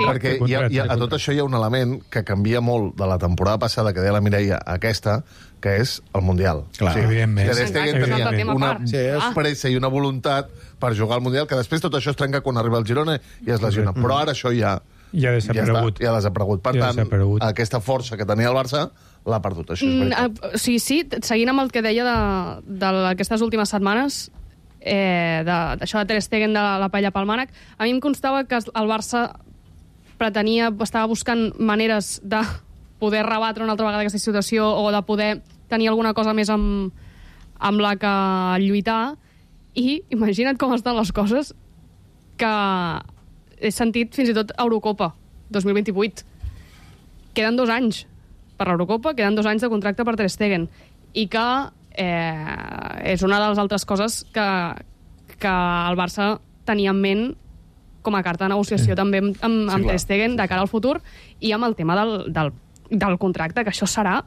Perquè a tot això hi ha un element que canvia molt de la temporada passada, que deia la Mireia, a aquesta, que és el Mundial. Clar, evidentment. Ter Stegen tenia una pressa i una voluntat per jugar al Mundial, que després tot això es trenca quan arriba al Girona i es lesiona. Però ara això ja ha desaparegut. Ja ha desaparegut. Per tant, aquesta força que tenia el Barça l'ha perdut, això és veritat. Sí, seguint amb el que deia d'aquestes últimes setmanes, d'això de Ter Stegen, de la paella pel mànec, a mi em constava que el Barça estava buscant maneres de poder rebatre una altra vegada aquesta situació o de poder tenir alguna cosa més amb la que lluitar, i imagina't com estan les coses, que he sentit fins i tot Eurocopa 2028. Queden 2 anys per l'Eurocopa, queden 2 anys de contracte per Ter Stegen, i que és una de les altres coses que el Barça tenia en ment com a carta de negociació també amb Ter Stegen de cara al futur, i amb el tema del contracte, que això serà...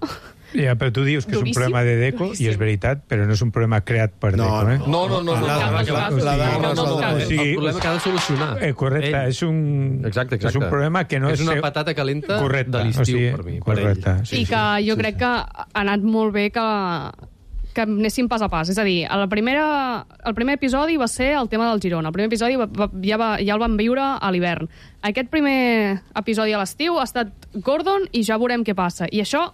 Ja, però tu dius que és un problema de Deco, i és veritat, però no és un problema creat per Deco, eh? No. El problema que ha de solucionar. Correcte, és un problema que no és... És una patata calenta de l'estiu, per mi. Correcte. I que jo crec que ha anat molt bé que anéssim pas a pas. És a dir, el primer episodi va ser el tema del Girona. El primer episodi ja el vam viure a l'hivern. Aquest primer episodi a l'estiu ha estat Gordon i ja veurem què passa. I això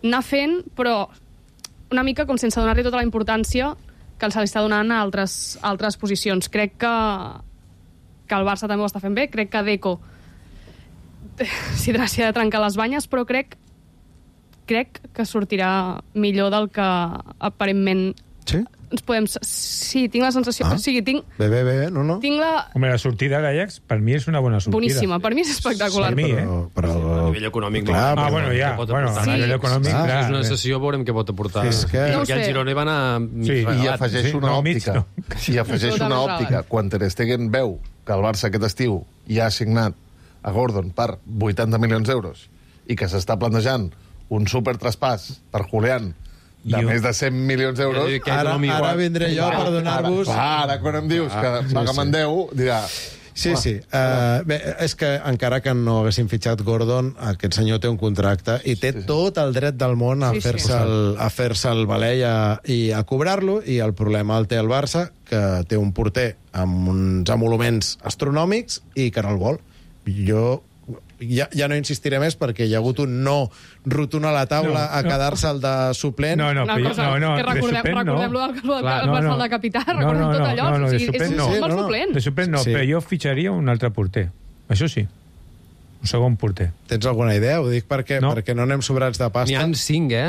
anar fent, però una mica com sense donar-li tota la importància que se li està donant a altres posicions. Crec que el Barça també ho està fent bé. Crec que Deco s'hi ha de trencar les banyes, però crec que sortirà millor del que aparentment ens podem... Sí, tinc la sensació... O sigui, Bé, no. Tinc la... Home, la sortida d'Ajax, per mi és una bona sortida. Boníssima, per mi és espectacular. Per mi, Però a nivell econòmic... Clar, a nivell econòmic... És una sessió, veurem què pot aportar. Perquè el Girona va anar... I afegeix una òptica. I afegeix una òptica. Quan Ter Stegen veu que el Barça aquest estiu ja ha signat a Gordon per 80 milions d'euros i que s'està plantejant un supertraspàs per Julián de més de 100 milions d'euros... Ara vindré jo per donar-vos... Ara, quan em dius que paga'm en 10, dirà... Sí. Bé, és que encara que no haguessin fitxat Gordon, aquest senyor té un contracte i té tot el dret del món a fer-se el valer i a cobrar-lo, i el problema el té el Barça, que té un porter amb uns emoluments astronòmics i que no el vol. Jo ja no insistiré més perquè hi ha hagut un no rotund a la taula a quedar-se el de suplent. Recordem-lo del de capità, recordem tot allò. És un mal suplent. De suplent no, però jo fitxaria un altre porter. Això sí. Un segon porter. Tens alguna idea? Ho dic perquè no anem sobrats de pasta. N'hi ha 5,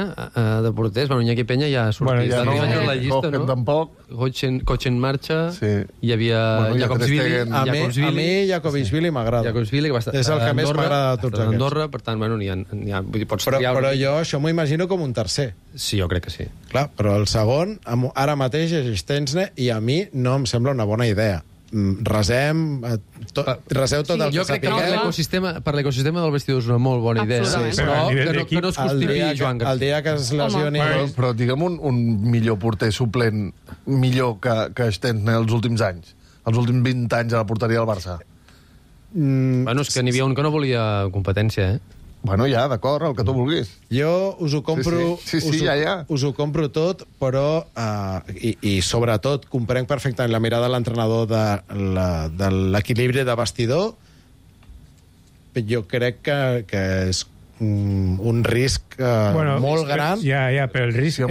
de porters. Bueno, Iñaki Peña ja ha sortit. La llista, no? Tampoc. Cotxen marxa. Hi havia Jakobsvili. A mi Jakobsvili m'agrada. Jakobsvili, que va estar... És el que més m'agrada de tots aquests. Andorra, per tant, bueno, n'hi ha... Però jo això m'ho imagino com un tercer. Sí, jo crec que sí. Clar, però el segon, ara mateix és Stensne, i a mi no em sembla una bona idea. Reseu tot el que jo crec que per l'ecosistema del vestidor és una molt bona idea, però que no es constipi Joan García. El dia que es lesioni... Però digue'm un millor porter suplent millor que Stensne els últims anys, els últims 20 anys a la porteria del Barça. Bueno, és que n'hi havia un que no volia competència, Bueno, ja, d'acord, el que tu vulguis. Jo us ho compro... Us ho compro tot, però... I sobretot, comprenc perfectament la mirada de l'entrenador de l'equilibri de vestidor. Jo crec que és un risc molt gran. Ja, però el risc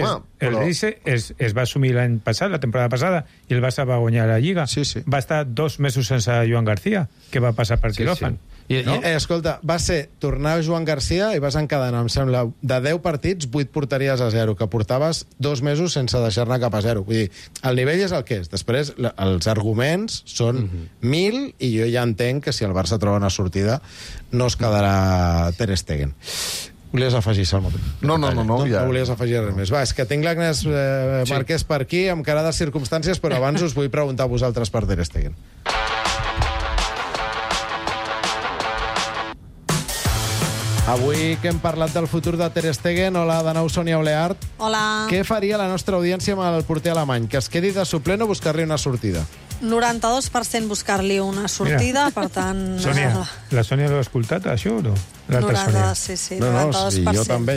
es va assumir l'any passat, la temporada passada, i el Barça va guanyar la Lliga. Va estar 2 mesos sense Joan García, que va passar per quiròfan. Escolta, va ser tornar Joan García i vas encadenar, em sembla, de 10 partits, 8 porteries a 0, que portaves 2 mesos sense deixar-ne cap a 0. Vull dir, el nivell és el que és. Després, els arguments són 1000, i jo ja entenc que si el Barça troba una sortida no es quedarà Ter Stegen. Volies afegir, Salmo? No, ja. No volies afegir res més. Va, és que tinc l'Agnès Marquès per aquí, amb cara de circumstàncies, però abans us vull preguntar a vosaltres per Ter Stegen. Avui que hem parlat del futur de Ter Stegen, hola de nou, Sònia Oleart. Hola. Què faria la nostra audiència amb el porter alemany? Que es quedi de suplent o buscar-li una sortida? 92% buscar-li una sortida, per tant... Sònia, la Sònia l'ha escoltat, això, o no? 90, sí, 92%. Jo també,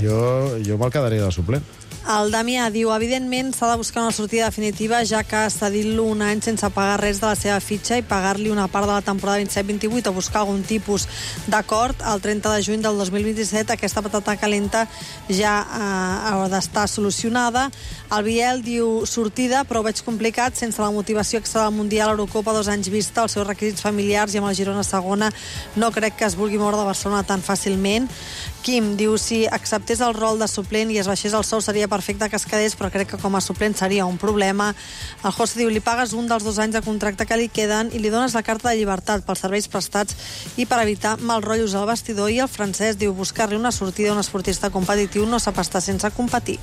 jo me'l quedaria de suplent. El Damià diu, evidentment s'ha de buscar una sortida definitiva, ja que cedir-lo un any sense pagar res de la seva fitxa i pagar-li una part de la temporada 27-28 o buscar algun tipus d'acord el 30 de juny del 2027, aquesta patata calenta ja haurà d'estar solucionada. El Biel diu, sortida, però ho veig complicat, sense la motivació extra del Mundial, Eurocopa, 2 anys vista, els seus requisits familiars i amb el Girona segona, no crec que es vulgui moure de Barcelona tan fàcilment. Quim diu, si acceptés el rol de suplent i es baixés el sou seria perfecte que es quedés, però crec que com a suplent seria un problema. El José diu, li pagues un dels 2 anys de contracte que li queden i li dones la carta de llibertat pels serveis prestats i per evitar mal rotllos al vestidor. I el Francesc diu, buscar-li una sortida a un esportista competitiu no sap estar sense competir.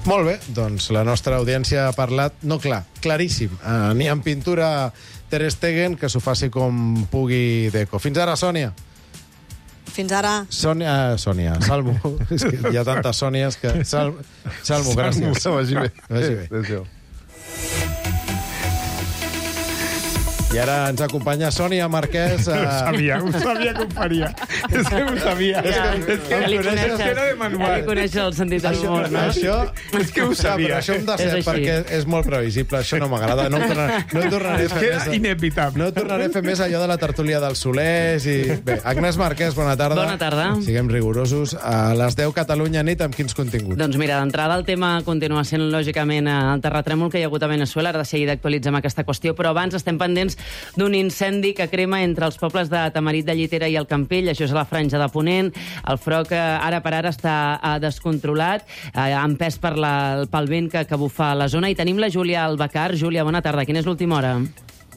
Molt bé, doncs la nostra audiència ha parlat, no clar, claríssim. Ni en pintura Ter Stegen, que s'ho faci com pugui Deco. Fins ara, Sònia. Fins ara. Sònia, Salmo. És que hi ha tantes Sònies que... Salmo, gràcies. Vagi bé. Adéu. I ara ens acompanya Sònia Marquès. Ho sabia que ho faria. És que ho sabia. És que li coneixes el sentit del humor, no? Això, és que ho sabia. Això hem de ser, perquè és molt previsible. Això no m'agrada. No tornaré a fer més. És inevitable. No tornaré a fer més allò de la tertúlia dels Solers. Bé, Agnès Marquès, bona tarda. Bona tarda. Siguem rigorosos. A les 10 Catalunya nit, amb quins continguts? Doncs mira, d'entrada el tema continua sent, lògicament, el terratrèmol que hi ha hagut a Venezuela. Ara de seguida actualitzem aquesta qüestió, però abans estem pendents d'un incendi que crema entre els pobles de Tamarit de Llitera i el Campell. Això és a la Franja de Ponent. El foc ara per ara està descontrolat, empès pel vent que bufa a la zona. I tenim la Júlia Albacar. Júlia, bona tarda. Quina és l'última hora?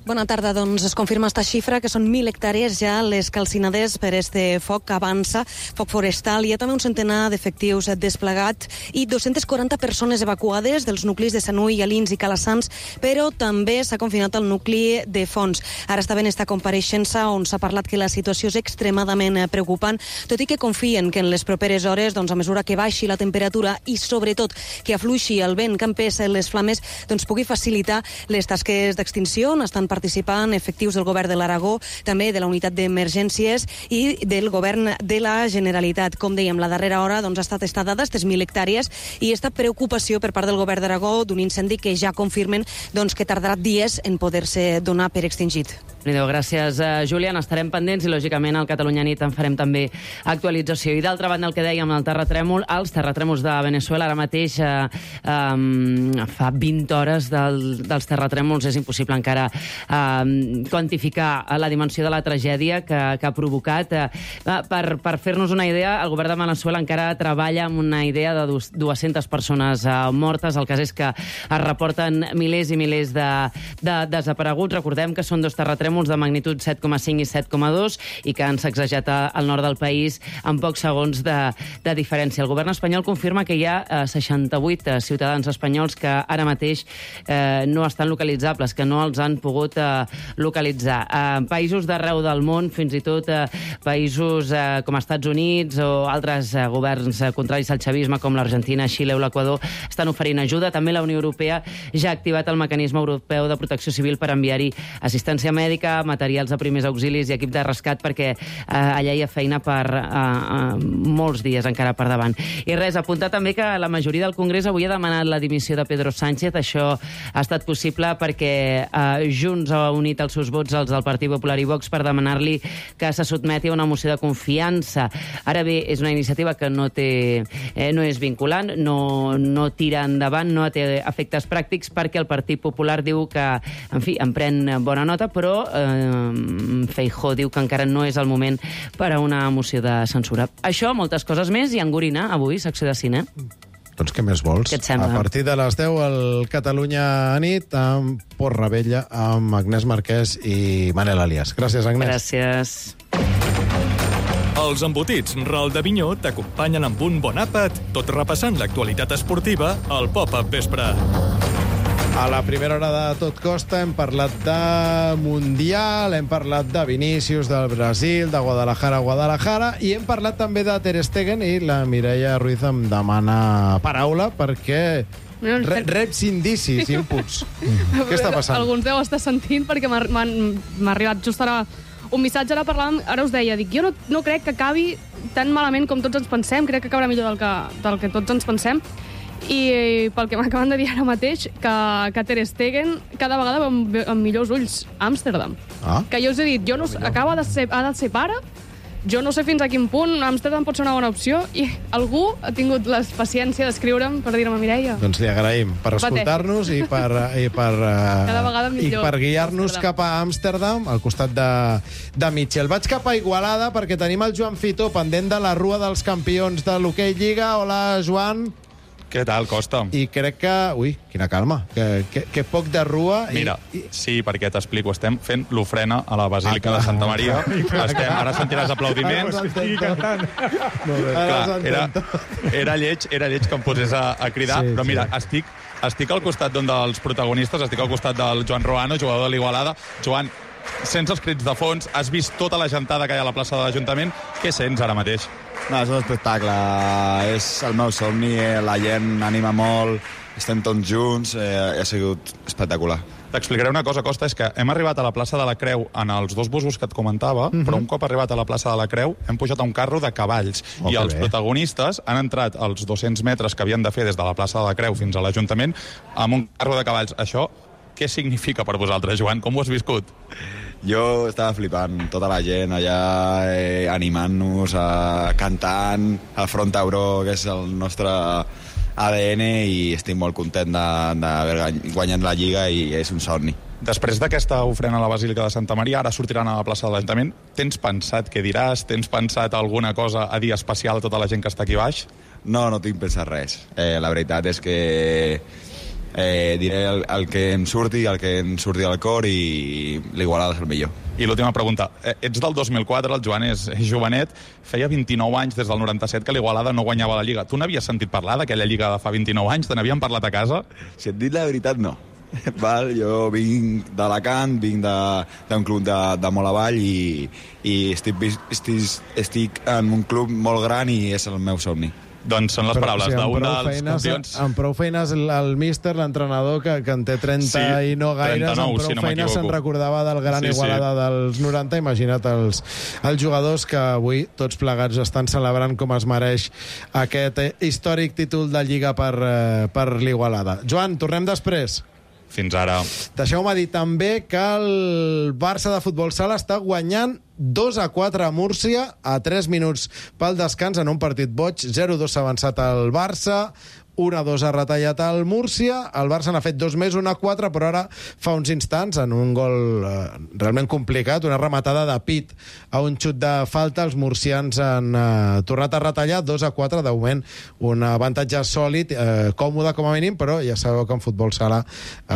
Bona tarda, doncs es confirma esta xifra, que són 1.000 hectàrees ja les calcinades per este foc que avança, foc forestal. Hi ha també un centenar d'efectius desplegats i 240 persones evacuades dels nuclis de Sanui, Alins i Calassans, però també s'ha confinat el nucli de Fons. Ara està ben esta compareixença on s'ha parlat que la situació és extremadament preocupant, tot i que confien que en les properes hores, doncs, a mesura que baixi la temperatura i sobretot que afluixi el vent que empès les flames, doncs pugui facilitar les tasques d'extinció. Estan participant efectius del govern de l'Aragó, també de la unitat d'emergències i del govern de la Generalitat. Com dèiem, la darrera hora doncs, ha estat estada d'estes 1.000 hectàrees i esta preocupació per part del govern d'Aragó d'un incendi que ja confirmen doncs, que tardarà dies en poder-se donar per extingit. Gràcies, Júlia. Estarem pendents i, lògicament, al Catalunya Nit en farem també actualització. I, d'altra banda, el que dèiem, el terratrèmol, els terratrèmols de Venezuela, ara mateix fa 20 hores dels terratrèmols. És impossible encara quantificar la dimensió de la tragèdia que ha provocat. Per fer-nos una idea, el govern de Venezuela encara treballa amb una idea de 200 persones mortes. El cas és que es reporten milers i milers de desapareguts. Recordem que són 2 terratrèmols de magnitud 7,5 i 7,2 i que han sacsejat al nord del país en pocs segons de diferència. El govern espanyol confirma que hi ha 68 ciutadans espanyols que ara mateix no estan localitzables, que no els han pogut localitzar. Països d'arreu del món, fins i tot països com Estats Units o altres governs contraris al xavisme com l'Argentina, Xile o l'Equador estan oferint ajuda. També la Unió Europea ja ha activat el mecanisme europeu de protecció civil per enviar-hi assistència mèdica, materials de primers auxilis i equip de rescat, perquè allà hi ha feina per molts dies encara per davant. I res, apuntar també que la majoria del Congrés avui ha demanat la dimissió de Pedro Sánchez. Això ha estat possible perquè Junts ha unit els seus vots als del Partit Popular i Vox per demanar-li que se sotmeti a una moció de confiança. Ara bé, és una iniciativa que no és vinculant, no tira endavant, no té efectes pràctics, perquè el Partit Popular diu que, en fi, en pren bona nota, però Feijóo diu que encara no és el moment per a una moció de censura. Això, moltes coses més, i Angorina, avui, secció de cine. Doncs què més vols? Què et sembla? A partir de les 10 al Catalunya Nit, amb Port Rebella, amb Agnès Marquès i Manel Alias. Gràcies, Agnès. Gràcies. Els embotits Ral d'Avinyó t'acompanyen amb un bon àpat, tot repassant l'actualitat esportiva al Pop-Up Vespre. A la primera hora de Tot Costa hem parlat de Mundial, hem parlat de Vinícius, del Brasil, de Guadalajara, i hem parlat també de Ter Stegen, i la Mireia Ruiz em demana paraula perquè Reps, indicis, inputs. Què està passant? Alguns deu estar sentint, perquè m'ha arribat just ara un missatge, ara us deia, dic, jo no crec que acabi tan malament com tots ens pensem, crec que acabarà millor del que tots ens pensem, i pel que m'acaben de dir ara mateix, que Ter Stegen cada vegada veu amb millors ulls Amsterdam. Que jo us he dit, ha de ser pare, jo no sé fins a quin punt Amsterdam pot ser una bona opció, i algú ha tingut la paciència d'escriure'm per dir-me, Mireia. Doncs li agraïm per escoltar-nos i per guiar-nos cap a Amsterdam, al costat de Mitchell. Vaig cap a Igualada perquè tenim el Joan Fitó pendent de la Rua dels Campions de l'Hockey Lliga. Hola, Joan. Què tal, Costa? I crec que... Ui, quina calma. Que poc de rua... Mira, sí, perquè t'explico. Estem fent l'ofrena a la Basílica de Santa Maria. Ara sentiràs aplaudiments. Era lleig que em posés a cridar, però mira, estic al costat d'un dels protagonistes, estic al costat del Joan Roano, jugador de l'Igualada. Joan, sents els crits de fons, has vist tota la gentada que hi ha a la plaça de l'Ajuntament. Què sents ara mateix? No, és un espectacle, és el meu somni, la gent anima molt, estem tots junts, ha sigut espectacular. T'explicaré una cosa, Costa, és que hem arribat a la plaça de la Creu en els 2 busos que et comentava, però un cop arribat a la plaça de la Creu hem pujat a un carro de cavalls, i els protagonistes han entrat als 200 metres que havien de fer des de la plaça de la Creu fins a l'Ajuntament amb un carro de cavalls. Això què significa per vosaltres, Joan? Com ho has viscut? Jo estava flipant, tota la gent allà animant-nos, cantant, el Front Tauró, que és el nostre ADN, i estic molt content d'haver guanyat la Lliga i és un somni. Després d'aquesta ofrena a la Basílica de Santa Maria, ara sortiran a la plaça de l'Ajuntament. Tens pensat què diràs? Tens pensat alguna cosa a dir especial a tota la gent que està aquí baix? No tinc pensat res. La veritat és que diré el que em surti al cor, i l'Igualada és el millor. I l'última pregunta. Ets del 2004, el Joan és jovenet, feia 29 anys des del 97 que l'Igualada no guanyava la Lliga. Tu n'havies sentit parlar d'aquella Lliga de fa 29 anys? Te n'havien parlat a casa? Si et dic la veritat, no. Jo vinc d'Alacant, vinc d'un club de molt avall, i estic en un club molt gran i és el meu somni. Doncs són les paraules d'un dels campions. Amb prou feines, el míster, l'entrenador, que en té 30 i no gaires, 39, amb prou feines se'n recordava del gran Igualada dels 90. Imagina't els jugadors que avui tots plegats estan celebrant com es mereix aquest històric títol de Lliga per l'Igualada. Joan, tornem després. Fins ara. Deixeu-me dir també que el Barça de futbol sala està guanyant 2-4 a Múrcia a 3 minuts pel descans en un partit boig. 0-2 s'ha avançat el Barça, 1-2 ha retallat el Múrcia. El Barça n'ha fet 2 més, 1-4, però ara fa uns instants, en un gol realment complicat, una rematada de pit a un xut de falta, els murcians han tornat a retallar 2-4, de moment un avantatge sòlid, còmode com a mínim, però ja sabeu que en futbol sala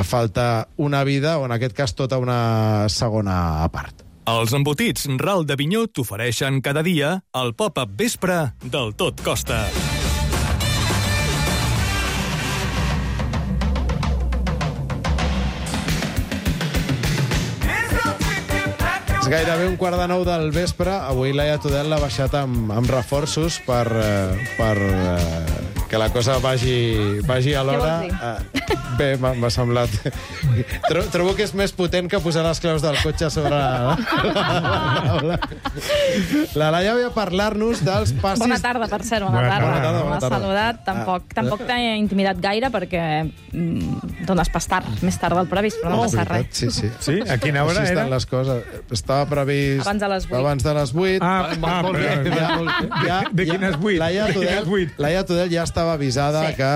falta una vida, o en aquest cas tota una segona part. Els embotits Ral d'Avinyó t'ofereixen cada dia el pop-up vespre del Tot Costa. És gairebé 8:45 del vespre. Avui Laia Tudel l'ha baixat amb reforços per que la cosa vagi a l'hora. Bé, m'ha semblat... Trobo que és més potent que posar les claus del cotxe sobre la taula. La Laia ve a parlar-nos dels passis... Bona tarda, per cert, bona tarda. M'ha saludat. Tampoc t'ha intimidat gaire perquè dones pas tard, més tard del previst, però no passa res. Sí, a quina hora era? Les coses. Estava previst... Abans de les 8. De quines 8? Laia Tudel ja estava avisada que...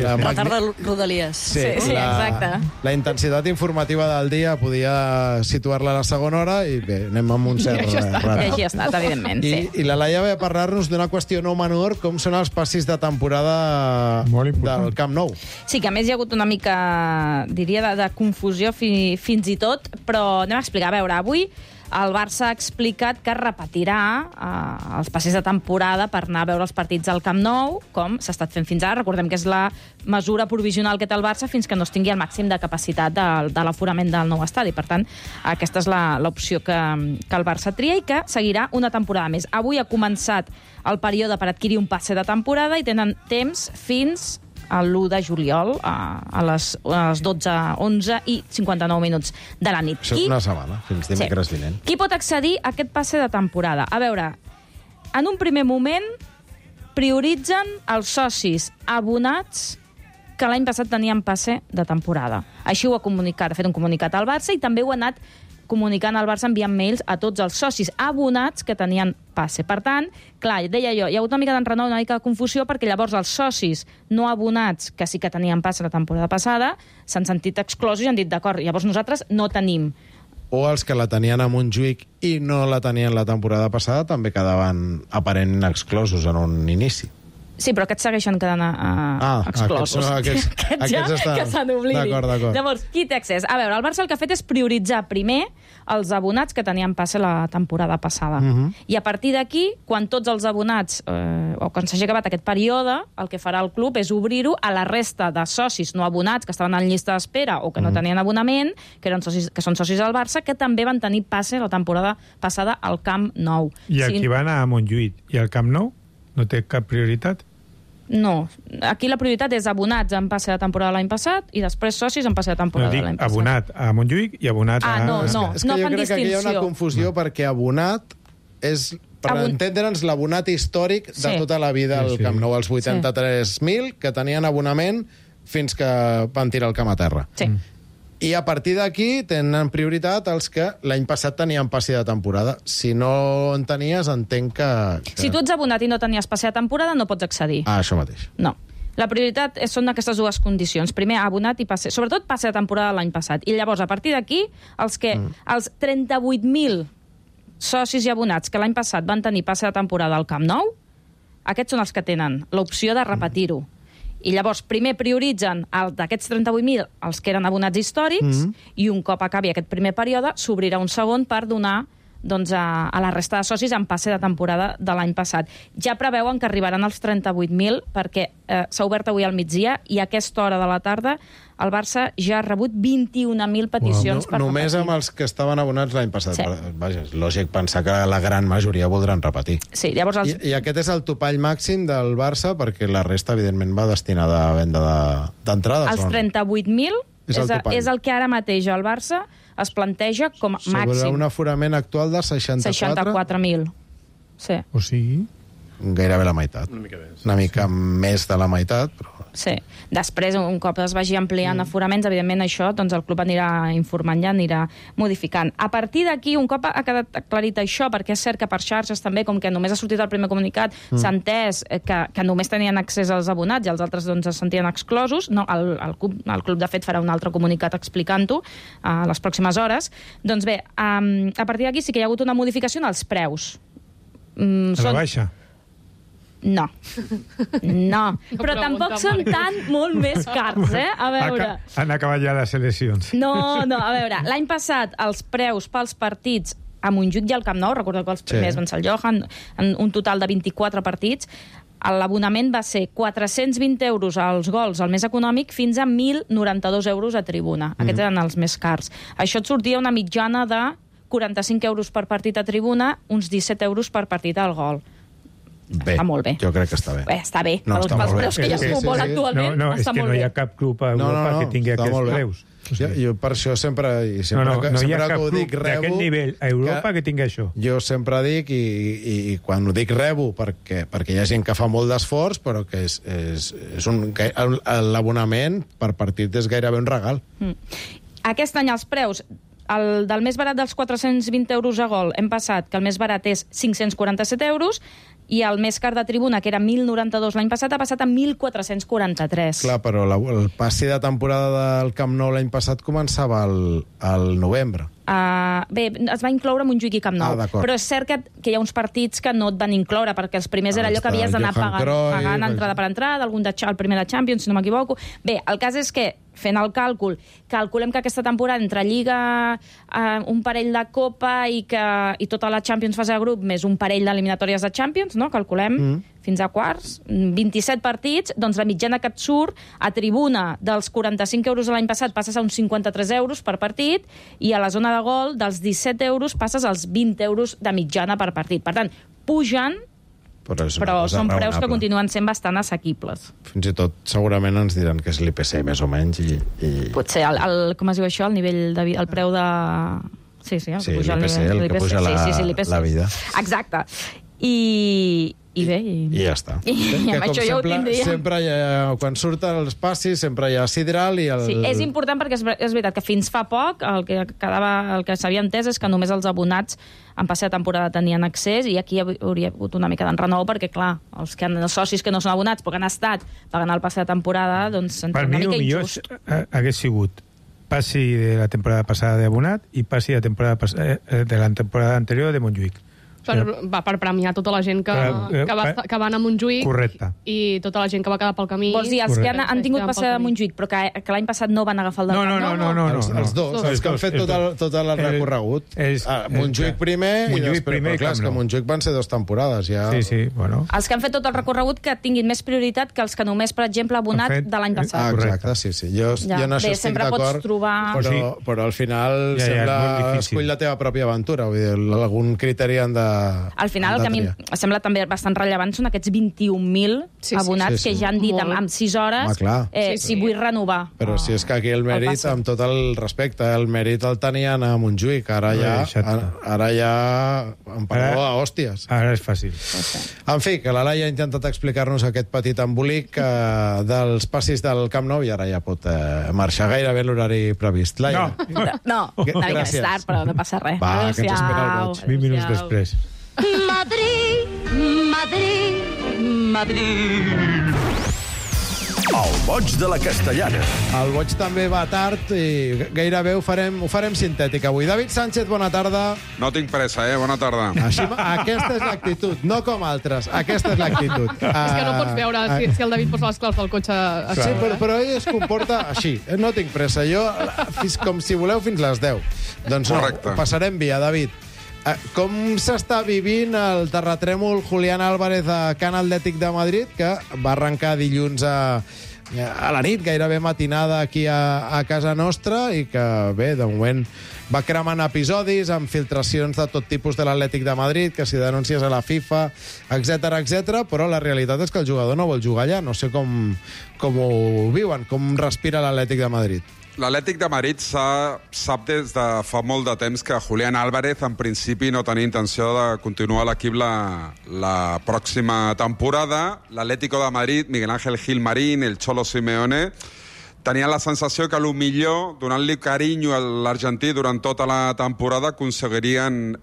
La tarda Rodalies. Sí, exacte. La intensitat informativa del dia podia situar-la a la segona hora, i bé, anem amb un cert retard. I així ha estat, evidentment, sí. I la Laia ve a parlar-nos d'una qüestió no menor, com són els passis de temporada del Camp Nou. Sí, que a més hi ha hagut una mica, diria, de confusió fins i tot, però anem a explicar. A veure, avui el Barça ha explicat que repetirà els passis de temporada per anar a veure els partits al Camp Nou, com s'ha estat fent fins ara. Recordem que és la mesura provisional que té el Barça fins que no es tingui el màxim de capacitat de l'aforament del nou estadi. Per tant, aquesta és l'opció que el Barça tria i que seguirà una temporada més. Avui ha començat el període per adquirir un passe de temporada i tenen temps fins l'1 de juliol a les 12:11 i 59 minuts de la nit. Això és una setmana, fins dimecres vinent. Qui pot accedir a aquest passe de temporada? A veure, en un primer moment prioritzen els socis abonats que l'any passat tenien passe de temporada. Així ho ha comunicat, ha fet un comunicat al Barça i també ho ha anat comunicant al Barça enviant mails a tots els socis abonats que tenien passe. Per tant, clar, deia jo, hi ha hagut una mica d'enrenou, una mica de confusió, perquè llavors els socis no abonats, que sí que tenien passe la temporada passada, s'han sentit exclosos i han dit, d'acord, llavors nosaltres no tenim. O els que la tenien a Montjuïc i no la tenien la temporada passada també quedaven aparentment exclosos en un inici. Sí, però aquests segueixen quedant exclosos. Aquests que se n'oblidin. D'acord. Llavors, qui té accés? A veure, el Barça el que ha fet és prioritzar primer els abonats que tenien passe la temporada passada. I a partir d'aquí, quan tots els abonats, o quan s'hagi acabat aquest període, el que farà el club és obrir-ho a la resta de socis no abonats que estaven en llista d'espera o que no tenien abonament, que són socis del Barça, que també van tenir passe la temporada passada al Camp Nou. I el que van a Montjuïc i al Camp Nou no té cap prioritat? No. Aquí la prioritat és abonats en passe de temporada l'any passat i després socis en passe de temporada l'any passat. Abonat a Montjuïc i abonat a... No fan distinció. Jo crec que aquí hi ha una confusió perquè abonat és, per entendre'ns, l'abonat històric de tota la vida al Camp Nou, els 83.000 que tenien abonament fins que van tirar el camp a terra. Sí. I a partir d'aquí tenen prioritat els que l'any passat tenien passe de temporada. Si no en tenies, entenc que... Si tu ets abonat i no tenies passe de temporada, no pots accedir. Això mateix. No. La prioritat són aquestes dues condicions. Primer, abonat i passe. Sobretot passe de temporada l'any passat. I llavors, a partir d'aquí, els 38.000 socis i abonats que l'any passat van tenir passe de temporada al Camp Nou, aquests són els que tenen l'opció de repetir-ho. I llavors primer prioritzen d'aquests 38.000 els que eren abonats històrics i un cop acabi aquest primer període s'obrirà un segon per donar a la resta de socis en passe de temporada de l'any passat. Ja preveuen que arribaran als 38.000 perquè s'ha obert avui al migdia i a aquesta hora de la tarda el Barça ja ha rebut 21.000 peticions per repetir. Només amb els que estaven abonats l'any passat. Sí. Vaja, és lògic pensar que la gran majoria voldran repetir. Sí, llavors I aquest és el topall màxim del Barça perquè la resta, evidentment, va destinada a venda d'entrades. Els 38.000 és el que ara mateix el Barça es planteja com a màxim. Sobre un aforament actual de 64.000. Sí. O sigui... Gairebé la meitat. Una mica més de la meitat, però... Sí. Després, un cop es vagi ampliant aforaments, evidentment això, doncs el club anirà informant, ja anirà modificant. A partir d'aquí, un cop ha quedat aclarit això, perquè és cert que per xarxes també, com que només ha sortit el primer comunicat, s'ha entès que només tenien accés als abonats i els altres doncs, es sentien exclosos. No, el club, de fet, farà un altre comunicat explicant-ho a les pròximes hores. Doncs bé, a partir d'aquí sí que hi ha hagut una modificació en els preus. A la baixa? No. Però tampoc són molt més cars, A veure... Han acabat ja les eleccions. No, a veure, l'any passat els preus pels partits a Montjuïc i al Camp Nou, recordeu que els primers van ser el Johan, en un total de 24 partits, l'abonament va ser 420 euros als gols, el més econòmic, fins a 1.092 euros a tribuna. Aquests eren els més cars. Això et sortia una mitjana de 45 euros per partit a tribuna, uns 17 euros per partit al gol. Bé, està molt bé. Jo crec que està bé. Està bé, pels preus que hi ha futbol actualment, està molt bé. No, és que no hi ha cap club a Europa que tingui aquests preus. Jo per això sempre hi ha cap club d'aquest nivell a Europa que tingui això. Jo sempre dic, i quan ho dic rebo, perquè hi ha gent que fa molt d'esforç, però que l'abonament per partit és gairebé un regal. Aquest any els preus del més barat dels 420 euros a gol hem passat que el més barat és 547 euros i el més car de tribuna, que era 1.092 l'any passat, ha passat a 1.443. Clar, però el passi de temporada del Camp Nou l'any passat començava al novembre. Bé, es va incloure Montjuïc i Camp Nou, però és cert que hi ha uns partits que no et van incloure, perquè els primers era allò que havies d'anar pagant entrada per entrada, el primer de Champions, si no m'equivoco. Bé, el cas és que, fent el càlcul, calculem que aquesta temporada entre Lliga, un parell de Copa i tota la Champions fase de grup, més un parell d'eliminatòries de Champions, no? Calculem fins a quarts, 27 partits, doncs la mitjana que et surt a tribuna dels 45 euros de l'any passat passes a uns 53 euros per partit i a la zona de gol dels 17 euros passes als 20 euros de mitjana per partit. Per tant, pugen Però són preus que continuen sent bastant assequibles. Fins i tot segurament ens diran que és l'IPC, més o menys. Potser, com es diu això, el preu de... Sí, l'IPC, el que puja la vida. Exacte. I bé... I ja està. I amb això ja ho tindríem. Sempre quan surten els passis, sempre hi ha sidral i Sí, és important perquè és veritat que fins fa poc el que s'havia entès és que només els abonats en passe de temporada tenien accés, i aquí hauria hagut una mica d'enrenou perquè, clar, els socis que no són abonats però que han estat pagant el passe de temporada, doncs s'entén una mica injust. Per mi, millor hagués sigut passi de la temporada passada d'abonat i passi de la temporada anterior de Montjuïc. Per premiar tota la gent que va anar a Montjuïc. Correcte. I tota la gent que va quedar pel camí. Vols dir, els que han tingut passada de Montjuïc però que l'any passat no van agafar el del Camp Nou? No. Els dos, els que han fet tot el recorregut. Montjuïc primer i després, però clar, és que Montjuïc van ser 2 temporades. Sí, bueno. Els que han fet tot el recorregut que tinguin més prioritat que els que només, per exemple, abonat de l'any passat. Exacte, sí. Jo en això estic d'acord, però al final escull la teva pròpia aventura. Vull dir, algun criteri han de... Al final, el que a mi em sembla també bastant rellevant són aquests 21.000 abonats que ja han dit en 6 hores si vull renovar. Però si és que aquí el mèrit, amb tot el respecte, el mèrit el tenien a Montjuïc, ara ja empareu a hòsties. Ara és fàcil. En fi, que la Laia ha intentat explicar-nos aquest petit embolic dels passis del Camp Nou i ara ja pot marxar gairebé l'horari previst. Laia. No, una mica més tard, però no passa res. Va, que ens espera el boig. 20 minuts després. Madrid, Madrid, Madrid. El boig de la Castellana. El boig també va tard i gairebé ho farem sintètic avui. David Sánchez, bona tarda. No tinc pressa, bona tarda. Aquesta és l'actitud, no com altres. Aquesta és l'actitud. És que no pots veure si el David posa les claus del cotxe... Sí, però ell es comporta així. No tinc pressa. Jo, com si voleu, fins les 10. Doncs no, passarem via, David. Com s'està vivint el terratrèmol Julián Álvarez a Can Atlètic de Madrid, que va arrencar dilluns a la nit, gairebé matinada aquí a casa nostra, i que, bé, de moment va cremant episodis amb filtracions de tot tipus de l'Atlètic de Madrid, que si denúncies a la FIFA, etc, però la realitat és que el jugador no vol jugar allà. No sé com ho viuen, com respira l'Atlètic de Madrid. L'Atlètic de Madrid sap des de fa molt de temps que Julián Álvarez en principi no tenia intenció de continuar a l'equip la pròxima temporada. L'Atlético de Madrid, Miguel Ángel Gilmarín, el Cholo Simeone, tenien la sensació que potser donant-li carinyo a l'argentí durant tota la temporada aconseguirien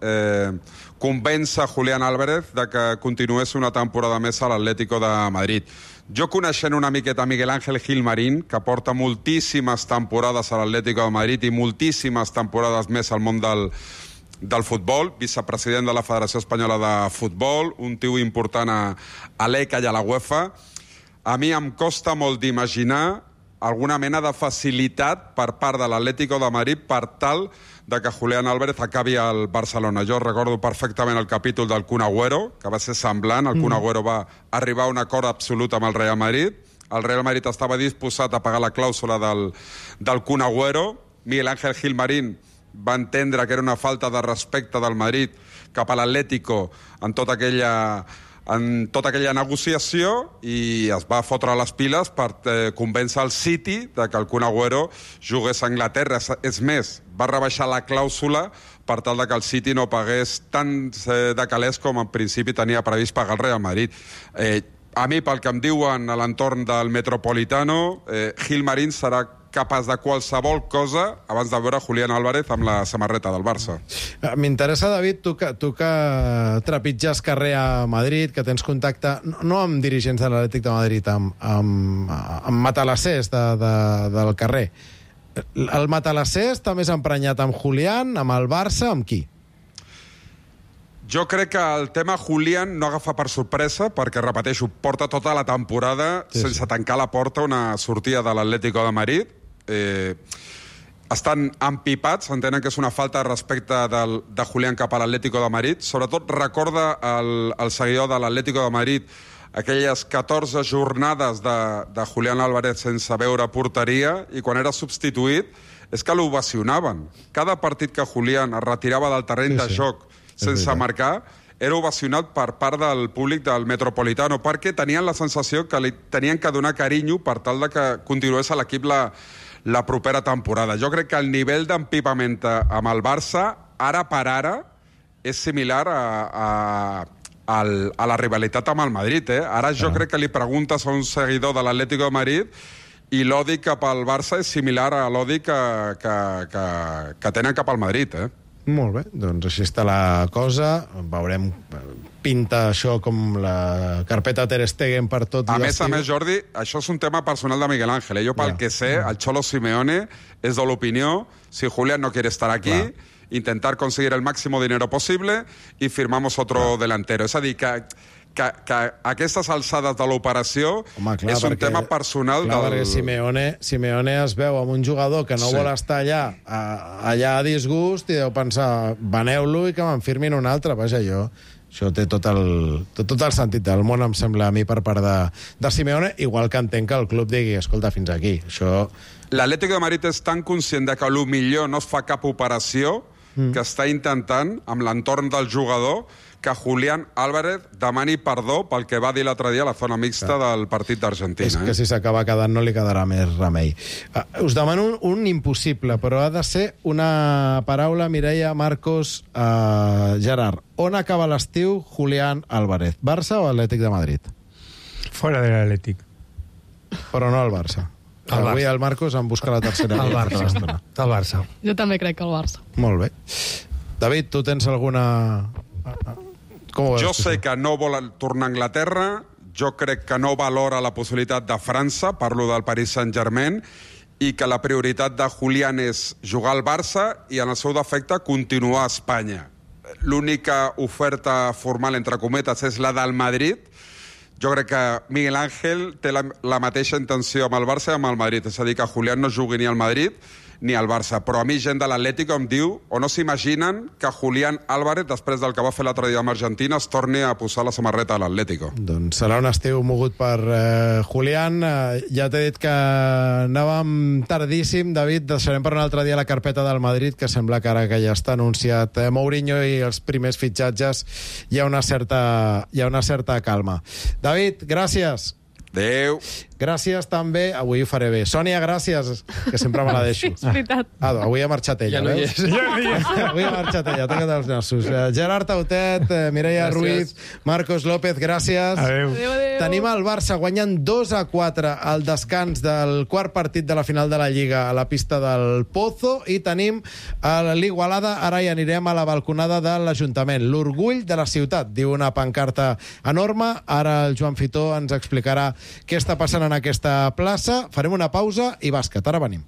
convèncer Julián Álvarez de que continués una temporada més a l'Atlético de Madrid. Jo, coneixent una miqueta Miguel Ángel Gilmarín, que porta moltíssimes temporades a l'Atlético de Madrid i moltíssimes temporades més al món del futbol, vicepresident de la Federació Espanyola de Futbol, un tio important a l'ECA i a la UEFA, a mi em costa molt d'imaginar alguna mena de facilitat per part de l'Atlético de Madrid per tal de que Julián Álvarez acabi al Barcelona. Jo recordo perfectament el capítol del Kun Agüero, que va ser semblant. El Kun Agüero va arribar a un acord absolut amb el Real Madrid. El Real Madrid estava disposat a pagar la clàusula del Kun Agüero. Miguel Ángel Gilmarín va entendre que era una falta de respecte del Madrid cap a l'Atlético en tota aquella negociació, i es va fotre les piles per convèncer el City de que el Kun Agüero jugués a Anglaterra. És més, va rebaixar la clàusula per tal de que el City no pagués tants de calés com en principi tenia previst pagar el Real Madrid. A mi, pel que em diuen a l'entorn del Metropolitano, Gilmarín serà capaç de qualsevol cosa abans de veure Julián Álvarez amb la samarreta del Barça. M'interessa, David, tu que trepitges carrer a Madrid, que tens contacte no amb dirigents de l'Atlètic de Madrid, amb matalassers del carrer. El matalasser està més emprenyat amb Julián, amb el Barça, amb qui? Jo crec que el tema Julián no agafa per sorpresa, perquè, repeteixo, porta tota la temporada sense tancar la porta una sortida de l'Atlético de Madrid. Estan empipats, entenen que és una falta de respecte de Julián cap a l'Atlético de Madrid. Sobretot recorda el seguidor de l'Atlético de Madrid aquelles 14 jornades de Julián Álvarez sense veure porteria, i quan era substituït és que l'ovacionaven. Cada partit que Julián es retirava del terreny de joc sense marcar, era ovacionat per part del públic del Metropolitano, perquè tenien la sensació que li tenien que donar carinyo per tal de que continués a l'equip la propera temporada. Jo crec que el nivell d'empipament amb el Barça, ara per ara, és similar a la rivalitat amb el Madrid. Ara jo crec que li preguntes a un seguidor de l'Atlético de Madrid i l'odi cap al Barça és similar a l'odi que tenen cap al Madrid. Molt bé, doncs així està la cosa. Veurem, pinta això com la carpeta Ter Stegen per tot l'estiu. A més, Jordi, això és un tema personal de Miguel Ángel. Jo, pel que sé, el Cholo Simeone és de l'opinió, si Julián no quiere estar aquí, intentar conseguir el máximo dinero posible y firmamos otro delantero. És a dir, que aquestes alçades de l'operació és un tema personal perquè Simeone es veu amb un jugador que no vol estar allà a disgust i deu pensar, veneu-lo i que me'n firmin un altre. Vaja, això té tot el sentit del món, em sembla a mi, per part de Simeone, igual que entenc que el club digui, escolta, fins aquí. L'Atlético de Madrid és tan conscient que potser no es fa cap operació que està intentant, amb l'entorn del jugador, que Julián Álvarez demani perdó pel que va dir l'altre dia a la zona mixta del partit d'Argentina. És que si s'acaba quedant no li quedarà més remei. Us demano un impossible, però ha de ser una paraula, Mireia, Marcos, Gerard. On acaba l'estiu Julián Álvarez? Barça o Atlètic de Madrid? Fora de l'Atlètic. Però no al Barça. Avui el Marcos en busca la tercera. El Barça. Jo també crec que el Barça. Molt bé. David, tu tens alguna... Jo sé que no vol tornar a Anglaterra, jo crec que no valora la possibilitat de França, parlo del Paris Saint-Germain, i que la prioritat de Julián és jugar al Barça i, en el seu defecte, continuar a Espanya. L'única oferta formal, entre cometes, és la del Madrid. Jo crec que Miguel Ángel té la mateixa intenció amb el Barça i amb el Madrid, és a dir, que Julián no jugui ni al Madrid ni al Barça. Però a mi gent de l'Atlético em diu, o no s'imaginen, que Julián Álvarez, després del que va fer l'altre dia amb Argentina, es torni a posar la samarreta a l'Atlético. Doncs serà un estiu mogut per Julián. Ja t'he dit que anàvem tardíssim, David. Deixarem per un altre dia la carpeta del Madrid, que sembla que ara que ja està anunciat Mourinho i els primers fitxatges hi ha una certa calma. David, gràcies. Adéu. Gràcies també, avui ho faré bé. Sònia, gràcies, que sempre me la deixo. És veritat. Avui ha marxat ella, ja no veus? Avui ha marxat ella, toca't els nassos. Gerard Tautet, Mireia Ruiz, Marcos López, gràcies. Adéu. Tenim el Barça guanyant 2-4 al descans del quart partit de la final de la Lliga a la pista del Pozo, i tenim l'Igualada. Ara hi anirem a la balconada de l'Ajuntament. L'orgull de la ciutat, diu una pancarta enorme. Ara el Joan Fitó ens explicarà què està passant en aquesta plaça. Farem una pausa i bàsquet. Ara venim.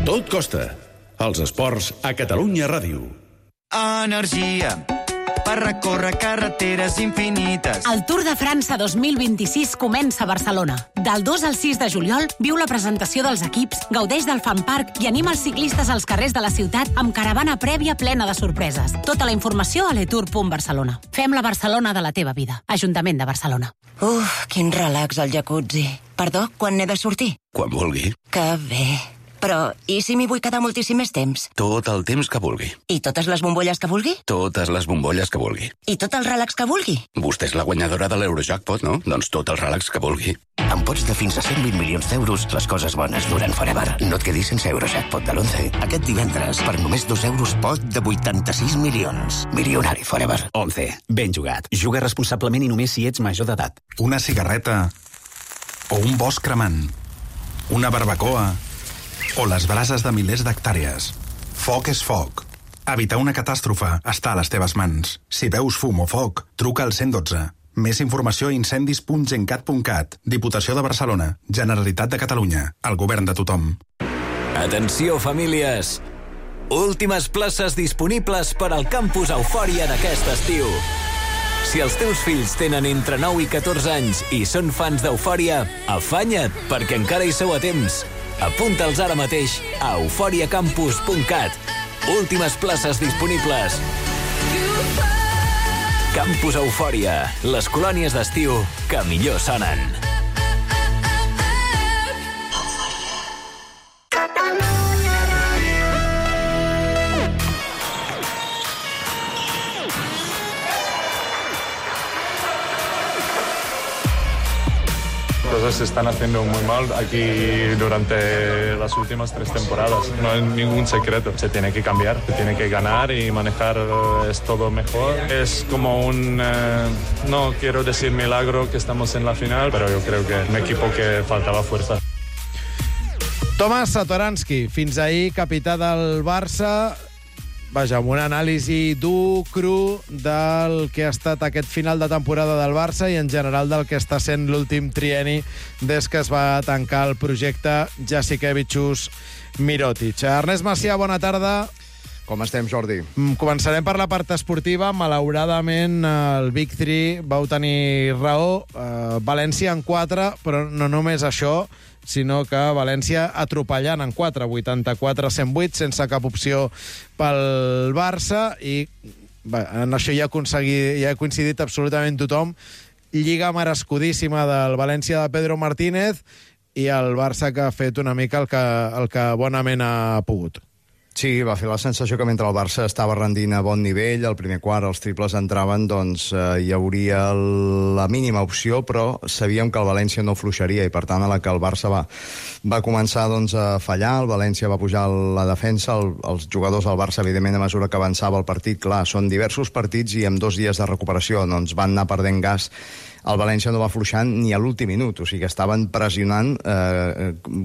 Tot costa. Els esports a Catalunya Ràdio. Energia per recórrer carreteres infinites. El Tour de França 2026 comença a Barcelona. Del 2 al 6 de juliol viu la presentació dels equips, gaudeix del Fan Park i anima els ciclistes als carrers de la ciutat amb caravana prèvia plena de sorpreses. Tota la informació a letour.barcelona. Fem la Barcelona de la teva vida. Ajuntament de Barcelona. Quin relax al jacuzzi. Perdó, quan n'he de sortir? Quan vulgui. Que bé. Però, i si m'hi vull quedar moltíssim més temps? Tot el temps que vulgui. I totes les bombolles que vulgui? Totes les bombolles que vulgui. I tot el relax que vulgui? Vostè és la guanyadora de l'Eurojackpot, no? Doncs tot el relax que vulgui. Amb pots de fins a 120 milions d'euros, les coses bones duren forever. No et quedis sense Eurojackpot de l'11. Aquest divendres, per només 2 euros, pot de 86 milions. Milionari forever. 11. Ben jugat. Juga responsablement i només si ets major d'edat. Una cigarreta o un bosc cremant. Una barbacoa o les brases de milers d'hectàrees. Foc és foc. Evitar una catàstrofe està a les teves mans. Si veus fum o foc, truca al 112. Més informació a incendis.gencat.cat. Diputació de Barcelona. Generalitat de Catalunya. El govern de tothom. Atenció, famílies! Últimes places disponibles per al campus Eufòria d'aquest estiu. Si els teus fills tenen entre 9 i 14 anys i són fans d'Eufòria, afanya't, perquè encara hi sou a temps. Apunta'ls ara mateix a euforiacampus.cat. Últimes places disponibles. Campus Eufòria, les colònies d'estiu que millor sonen. cosas se están haciendo muy mal aquí durante las últimas 3 temporadas. No hay ningún secreto. Se tiene que cambiar, se tiene que ganar y manejar es todo mejor. Es como un, no quiero decir milagro que estamos en la final, pero yo creo que un equipo que faltaba fuerza. Tomas Satoranski, fins ahir capità del Barça, vaja, amb una anàlisi dur, cru, del que ha estat aquest final de temporada del Barça i en general del que està sent l'últim trienni des que es va tancar el projecte Jasikevičius-Mirotic. Ernest Macià, bona tarda. Com estem, Jordi? Començarem per la part esportiva. Malauradament, el Big 3 vau tenir raó. València en 4, però no només això, sinó que València atropellant en 4, 84-108, sense cap opció pel Barça, i en això ja ha coincidit absolutament tothom. Lliga merescudíssima del València de Pedro Martínez i el Barça que ha fet una mica el que bonament ha pogut. Sí, va fer la sensació que mentre el Barça estava rendint a bon nivell, al primer quart els triples entraven, doncs hi hauria la mínima opció, però sabíem que el València no fluixaria i, per tant, a la que el Barça va començar doncs, a fallar, el València va pujar la defensa, els jugadors del Barça, evidentment, a mesura que avançava el partit, clar, són diversos partits i amb 2 dies de recuperació doncs, van anar perdent gas. El València no va fluixant ni a l'últim minut, o sigui que estaven pressionant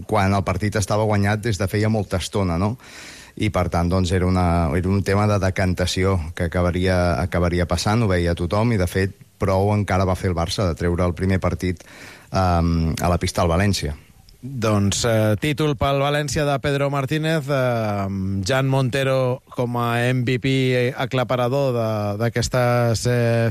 quan el partit estava guanyat des de feia molta estona, no? I, per tant, doncs, era un tema de decantació que acabaria passant, ho veia tothom, i, de fet, prou encara va fer el Barça de treure el primer partit a la pista al València. Doncs títol pel València de Pedro Martínez, Jan Montero com a MVP aclaparador d'aquestes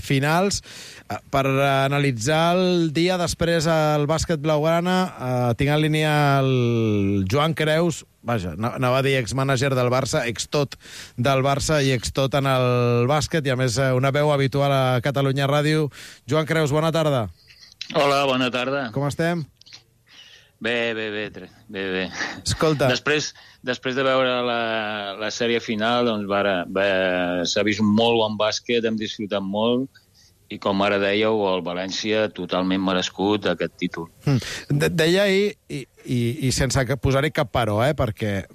finals. Per analitzar el dia després al bàsquet blaugrana, tinc en línia el Joan Creus, vaja, anava a dir ex-mànager del Barça, ex-tot del Barça i ex-tot en el bàsquet, i a més una veu habitual a Catalunya Ràdio. Joan Creus, bona tarda. Hola, bona tarda. Com estem? Bé. Escolta. Després de veure la sèrie final, doncs s'ha vist un molt bon bàsquet, hem disfrutat molt, i com ara dèieu, el València totalment merescut aquest títol. Deia ahir, i sense posar-hi cap però, perquè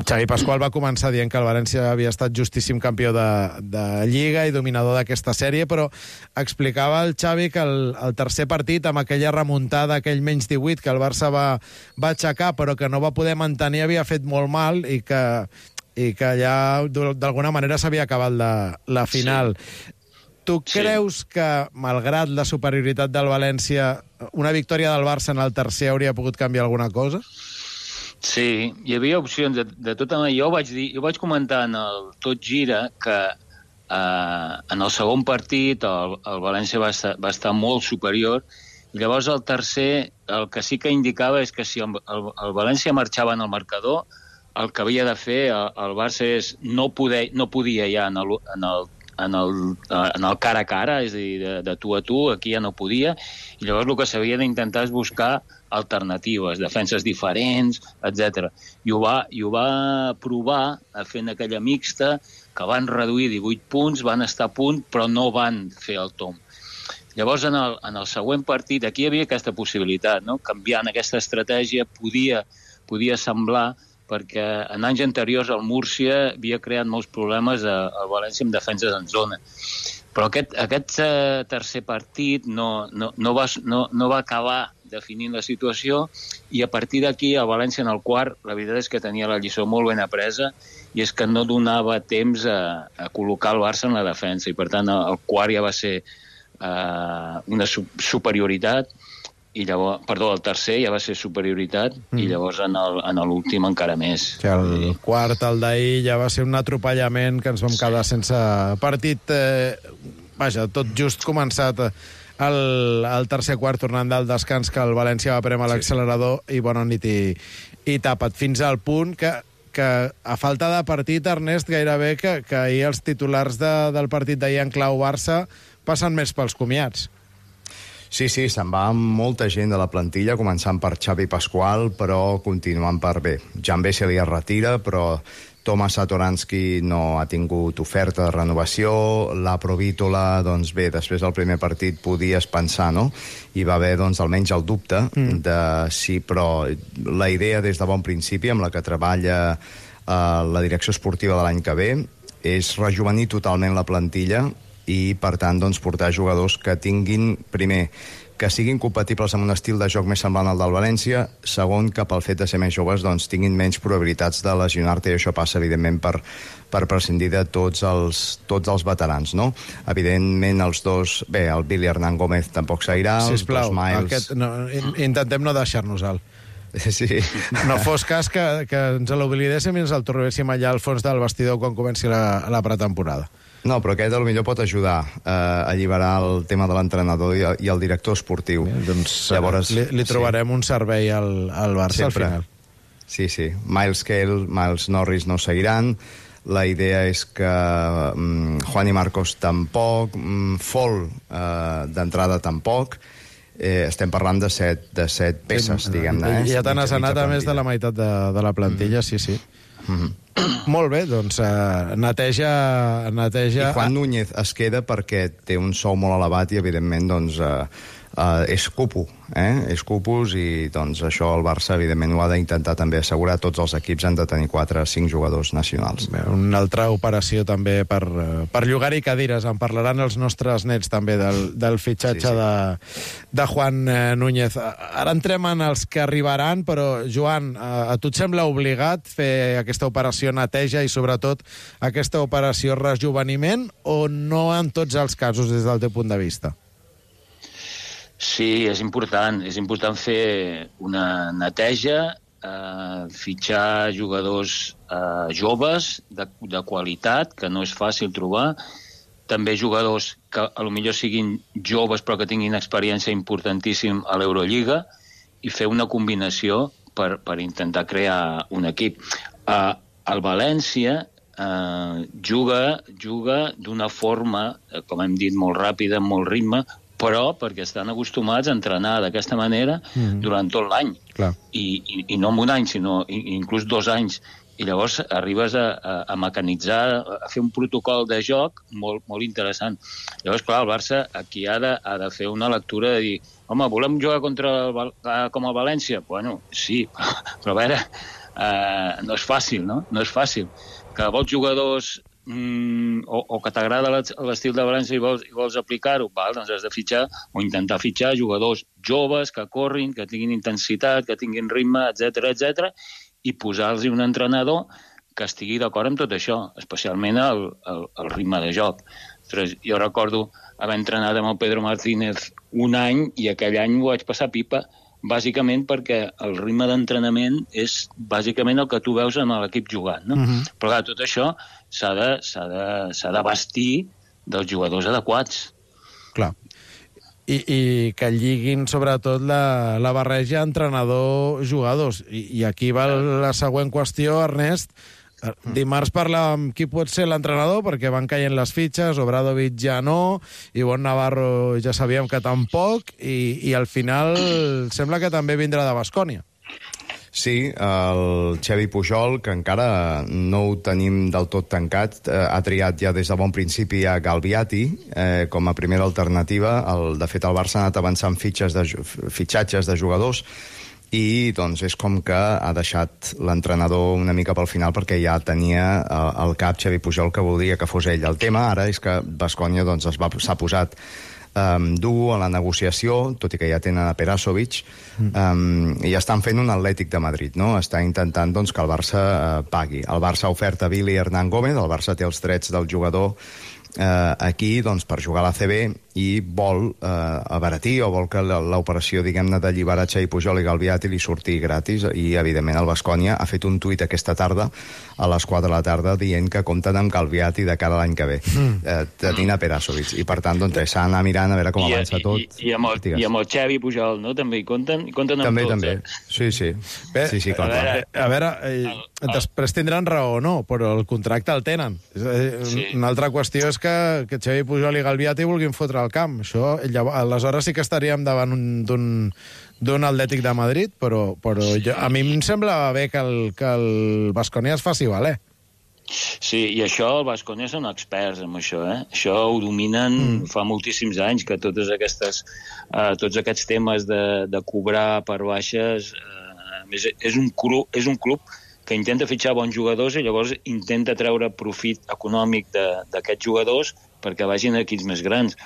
Xavi Pasqual va començar dient que el València havia estat justíssim campió de Lliga i dominador d'aquesta sèrie, però explicava el Xavi que el tercer partit, amb aquella remuntada, aquell menys 18 que el Barça va aixecar, però que no va poder mantenir, havia fet molt mal i que ja d'alguna manera s'havia acabat la final. Sí. Tu creus que, malgrat la superioritat del València, una victòria del Barça en el tercer hauria pogut canviar alguna cosa? Sí, hi havia opcions de tota manera. Jo vaig comentar en el Tot Gira que en el segon partit el València va estar molt superior, i llavors el tercer el que sí que indicava és que si el València marxava en el marcador, el que havia de fer el Barça és no podia ja en el cara a cara, és a dir, de tu a tu, aquí ja no podia, i llavors el que s'havia d'intentar és buscar alternatives, defenses diferents, etc. I ho va provar fent aquella mixta, que van reduir 18 punts, van estar a punt, però no van fer el tomb. Llavors, en el següent partit, aquí hi havia aquesta possibilitat, no? Canviant aquesta estratègia podia semblar, perquè en anys anteriors el Múrcia havia creat molts problemes al València amb defenses en zona. Però aquest tercer partit no va acabar definint la situació, i a partir d'aquí el València en el quart, la veritat és que tenia la lliçó molt ben apresa, i és que no donava temps a col·locar el Barça en la defensa, i per tant el quart ja va ser una superioritat, i llavors, el tercer ja va ser superioritat, i llavors en l'últim encara més. El quart, el d'ahir, ja va ser un atropellament que ens vam quedar sense partit. Vaja, tot just començat el tercer quart, tornant del descans, que el València va prémer l'accelerador i bona nit i tapat. Fins al punt que a falta de partit, Ernest, gairebé que ahir els titulars del partit d'ahir en clau Barça passen més pels comiats. Sí, se'n va molta gent de la plantilla, començant per Xavi Pasqual, però continuant per bé. Jan Bessel ja es retira, però Tomas Satoransky no ha tingut oferta de renovació, la Provítola, doncs bé, després del primer partit podies pensar, no? Hi va haver, doncs, almenys el dubte de sí, però la idea des de bon principi, amb la que treballa la direcció esportiva de l'any que ve, és rejuvenir totalment la plantilla i, per tant, doncs, portar jugadors que tinguin, primer, que siguin compatibles amb un estil de joc més semblant al del València, segon, que pel fet de ser més joves doncs, tinguin menys probabilitats de lesionar-te, i això passa, evidentment, per prescindir de tots els veterans, no? Evidentment, els dos... Bé, el Billy Hernán Gómez tampoc seguirà, sisplau, els dos Miles... intentem no deixar-nos-el. Sí. No fos cas que ens l'oblidéssim i ens el trobéssim allà al fons del vestidor quan comenci la pretemporada. No, però aquest potser pot ajudar a alliberar el tema de l'entrenador i el director esportiu. Doncs llavors li trobarem un servei al Barça sempre. Al final. Sí. Miles Cale, Miles Norris no seguiran. La idea és que Juan i Marcos tampoc, Fall d'entrada tampoc. Estem parlant de set peces, diguem-ne. Ja te n'has anat a més de la meitat de la plantilla, sí. Molt bé, doncs neteja... I Juan Núñez es queda perquè té un sou molt elevat i, evidentment, doncs, és cupo, és cupos, i doncs això el Barça, evidentment, ho ha d'intentar també assegurar. Tots els equips han de tenir 4 o 5 jugadors nacionals. Bé, una altra operació també per llogar-hi cadires. En parlaran els nostres nets també del fitxatge de Juan Núñez. Ara entrem en els que arribaran, però, Joan, a tu et sembla obligat fer aquesta operació neteja i, sobretot, aquesta operació rejuveniment, o no en tots els casos des del teu punt de vista? Sí, és important fer una neteja, fitxar jugadors joves, de qualitat, que no és fàcil trobar, també jugadors que potser siguin joves però que tinguin experiència importantíssim a l'Eurolliga, i fer una combinació per intentar crear un equip. El València juga d'una forma, com hem dit, molt ràpida, amb molt ritme, però perquè estan acostumats a entrenar d'aquesta manera durant tot l'any. I no en un any, sinó inclús 2 anys. I llavors arribes a mecanitzar, a fer un protocol de joc molt, molt interessant. Llavors, clar, el Barça aquí ha de fer una lectura de dir, home, volem jugar com el València? Bueno, sí, però a veure, no és fàcil, no? No és fàcil. Que vols jugadors o que t'agrada l'estil de València i vols aplicar-ho, doncs has de fitxar o intentar fitxar jugadors joves que corrin, que tinguin intensitat, que tinguin ritme, etc, i posar-los un entrenador que estigui d'acord amb tot això, especialment el ritme de joc. Jo recordo haver entrenat amb el Pedro Martínez un any i aquell any ho vaig passar pipa, bàsicament perquè el ritme d'entrenament és bàsicament el que tu veus en l'equip jugant, no? Però clar, tot això s'ha de vestir dels jugadors adequats. Clar. I que lliguin, sobretot, la barreja entrenador-jugadors. I aquí va la següent qüestió, Ernest. Dimarts parlàvem qui pot ser l'entrenador, perquè van caient les fitxes, Obradovic ja no, Ivonne Navarro ja sabíem que tampoc, i al final sembla que també vindrà de Baskonia. Sí, el Xavi Pujol, que encara no ho tenim del tot tancat, ha triat ja des de bon principi a Galbiati com a primera alternativa. De fet, el Barça ha anat avançant fitxatges de jugadors, i doncs és com que ha deixat l'entrenador una mica pel final, perquè ja tenia al cap Xavi Pujol que voldria que fos ell. El tema ara és que Baskonia s'ha posat dur a la negociació, tot i que ja tenen a Perasovic, i estan fent un Atlètic de Madrid, no? Està intentant doncs, que el Barça pagui. El Barça oferta Billy Hernán Gómez, el Barça té els drets del jugador aquí doncs, per jugar a l'ACB, i vol abaratir, o vol que l'operació, diguem-ne, d'alliberar Xavi Pujol i Galbiati li surti gratis, i evidentment el Baskonia ha fet un tuit aquesta tarda a les 4 de la tarda dient que compten amb Galbiati de cara a l'any que ve, tenint a Perasovic, i per tant doncs, s'ha d'anar mirant a veure com avança tot. I amb el Xavi Pujol, no? També hi compten amb també, tots. També, sí. Bé, sí, clar. A veure, després tindran raó o no, però el contracte el tenen. Una altra qüestió és que Xavi Pujol i Galbiati vulguin fotre al camp. Això, aleshores sí que estaríem davant d'un Atlètic de Madrid, però a mi em sembla bé que el Baskonia es faci valer. Sí, i això el Baskonia són experts en això, Això ho dominen fa moltíssims anys, que tots aquests temes de cobrar per baixes... és un club que intenta fitxar bons jugadors i llavors intenta treure profit econòmic d'aquests jugadors perquè vagin a equips més grans.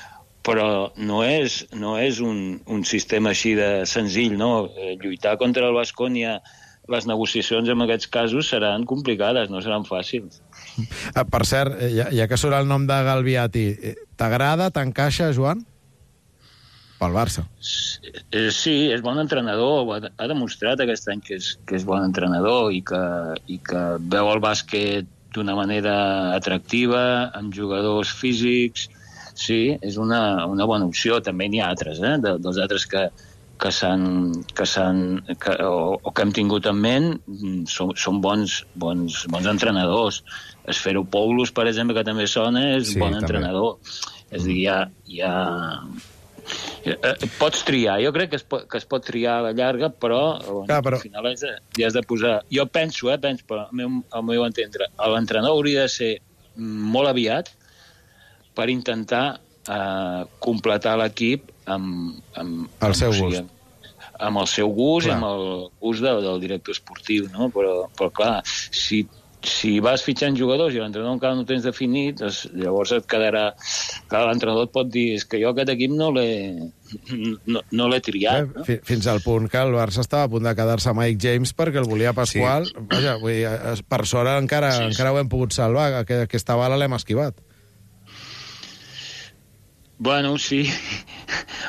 Però no és un sistema així de senzill, no? Lluitar contra el Baskonia, les negociacions en aquests casos seran complicades, no seran fàcils. Per cert, ja que surt el nom de Galbiati, t'agrada, t'encaixa, Joan? Pel Barça. Sí, és bon entrenador, ha demostrat aquest any que és bon entrenador i que veu el bàsquet d'una manera atractiva, amb jugadors físics. Sí, és una bona opció. També n'hi ha altres, dels altres que hem tingut en ment, són bons entrenadors. Esferopoulos, per exemple, que també sona, és bon entrenador. És a dir, pots triar. Jo crec que es pot triar a la llarga, però al final ja has de posar... Jo penso, però al meu entendre, l'entrenador hauria de ser molt aviat per intentar completar l'equip amb el seu gust. Amb el seu gust i amb el gust del director esportiu, no? Però clar, si vas fitxant jugadors i l'entrenador encara no tens definit, llavors et quedarà... Clar, l'entrenador et pot dir és que jo aquest equip no l'he triat. No? Fins al punt que el Barça estava a punt de quedar-se Mike James perquè el volia Pasqual. Sí. Vaja, per sort encara ho hem pogut salvar, que aquesta bala l'hem esquivat. Bueno, sí,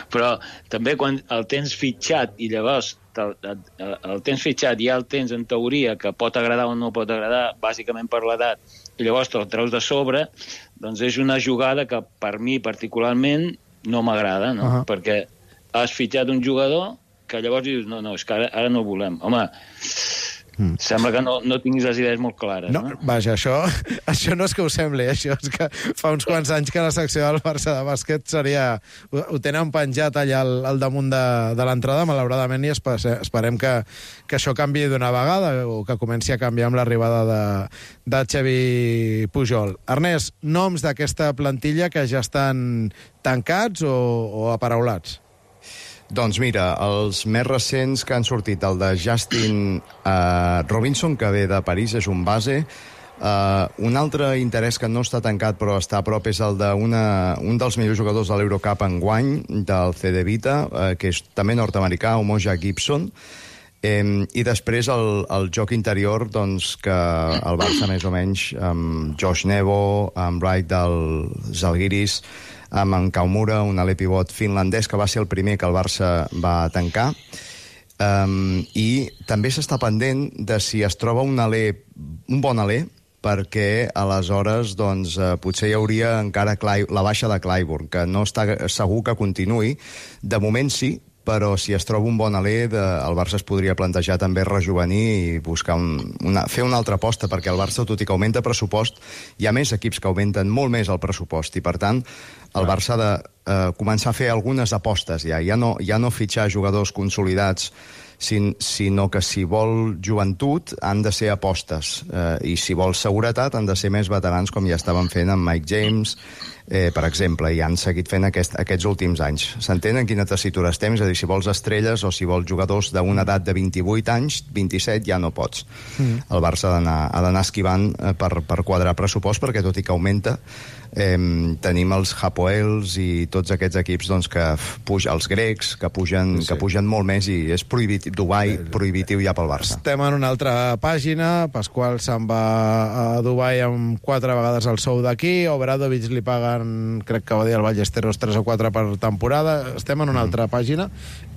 però també quan el tens fitxat i llavors el tens fitxat i ja el tens en teoria que pot agradar o no pot agradar, bàsicament per l'edat, i llavors te'l treus de sobre, doncs és una jugada que per mi particularment no m'agrada, no? Perquè has fitxat un jugador que llavors dius, no, és que ara no el volem. Home, sembla que no tinguis les idees molt clares, no? Vaja, això no és que ho sembli, això és que fa uns quants anys que la secció del Barça de bàsquet ho tenen penjat allà al damunt de l'entrada, malauradament, i esperem que això canviï d'una vegada o que comenci a canviar amb l'arribada de Xavi Pujol. Ernest, noms d'aquesta plantilla que ja estan tancats o aparaulats? Doncs mira, els més recents que han sortit, el de Justin Robinson, que ve de París, és un base. Un altre interès que no està tancat però està a prop és el d'un dels millors jugadors de l'Eurocup enguany, del CD Vita, que és també nord-americà, Umoja Gibson. I després el joc interior, doncs, que el Barça més o menys, amb Josh Nebo, amb Wright del Zalgiris, amb en Kaumura, un alè pivot finlandès, que va ser el primer que el Barça va tancar. I també s'està pendent de si es troba un bon alè, perquè aleshores doncs, potser hi hauria encara la baixa de Clyburn, que no està segur que continuï. De moment sí, però si es troba un bon alè, el Barça es podria plantejar també rejuvenir i buscar fer una altra aposta, perquè el Barça, tot i que augmenta pressupost, hi ha més equips que augmenten molt més el pressupost, i per tant el Barça ha de començar a fer algunes apostes ja no fitxar jugadors consolidats, sinó que si vol joventut han de ser apostes, i si vol seguretat han de ser més veterans, com ja estaven fent amb Mike James, per exemple, i han seguit fent aquests últims anys. S'entén en quina tessitura estem? És a dir, si vols estrelles o si vols jugadors d'una edat de 28 anys, 27 ja no pots. El Barça ha d'anar esquivant per quadrar pressupost, perquè tot i que augmenta, tenim els Hapoels i tots aquests equips doncs, que pugen, els grecs, que pugen molt més, i és prohibitiu, Dubai prohibitiu ja pel Barça. Estem en una altra pàgina. Pasqual se'n va a Dubai amb 4 vegades el sou d'aquí, Obradovic li paguen, crec que va dir el Ballesteros, 3 o 4 per temporada. Estem en una altra pàgina,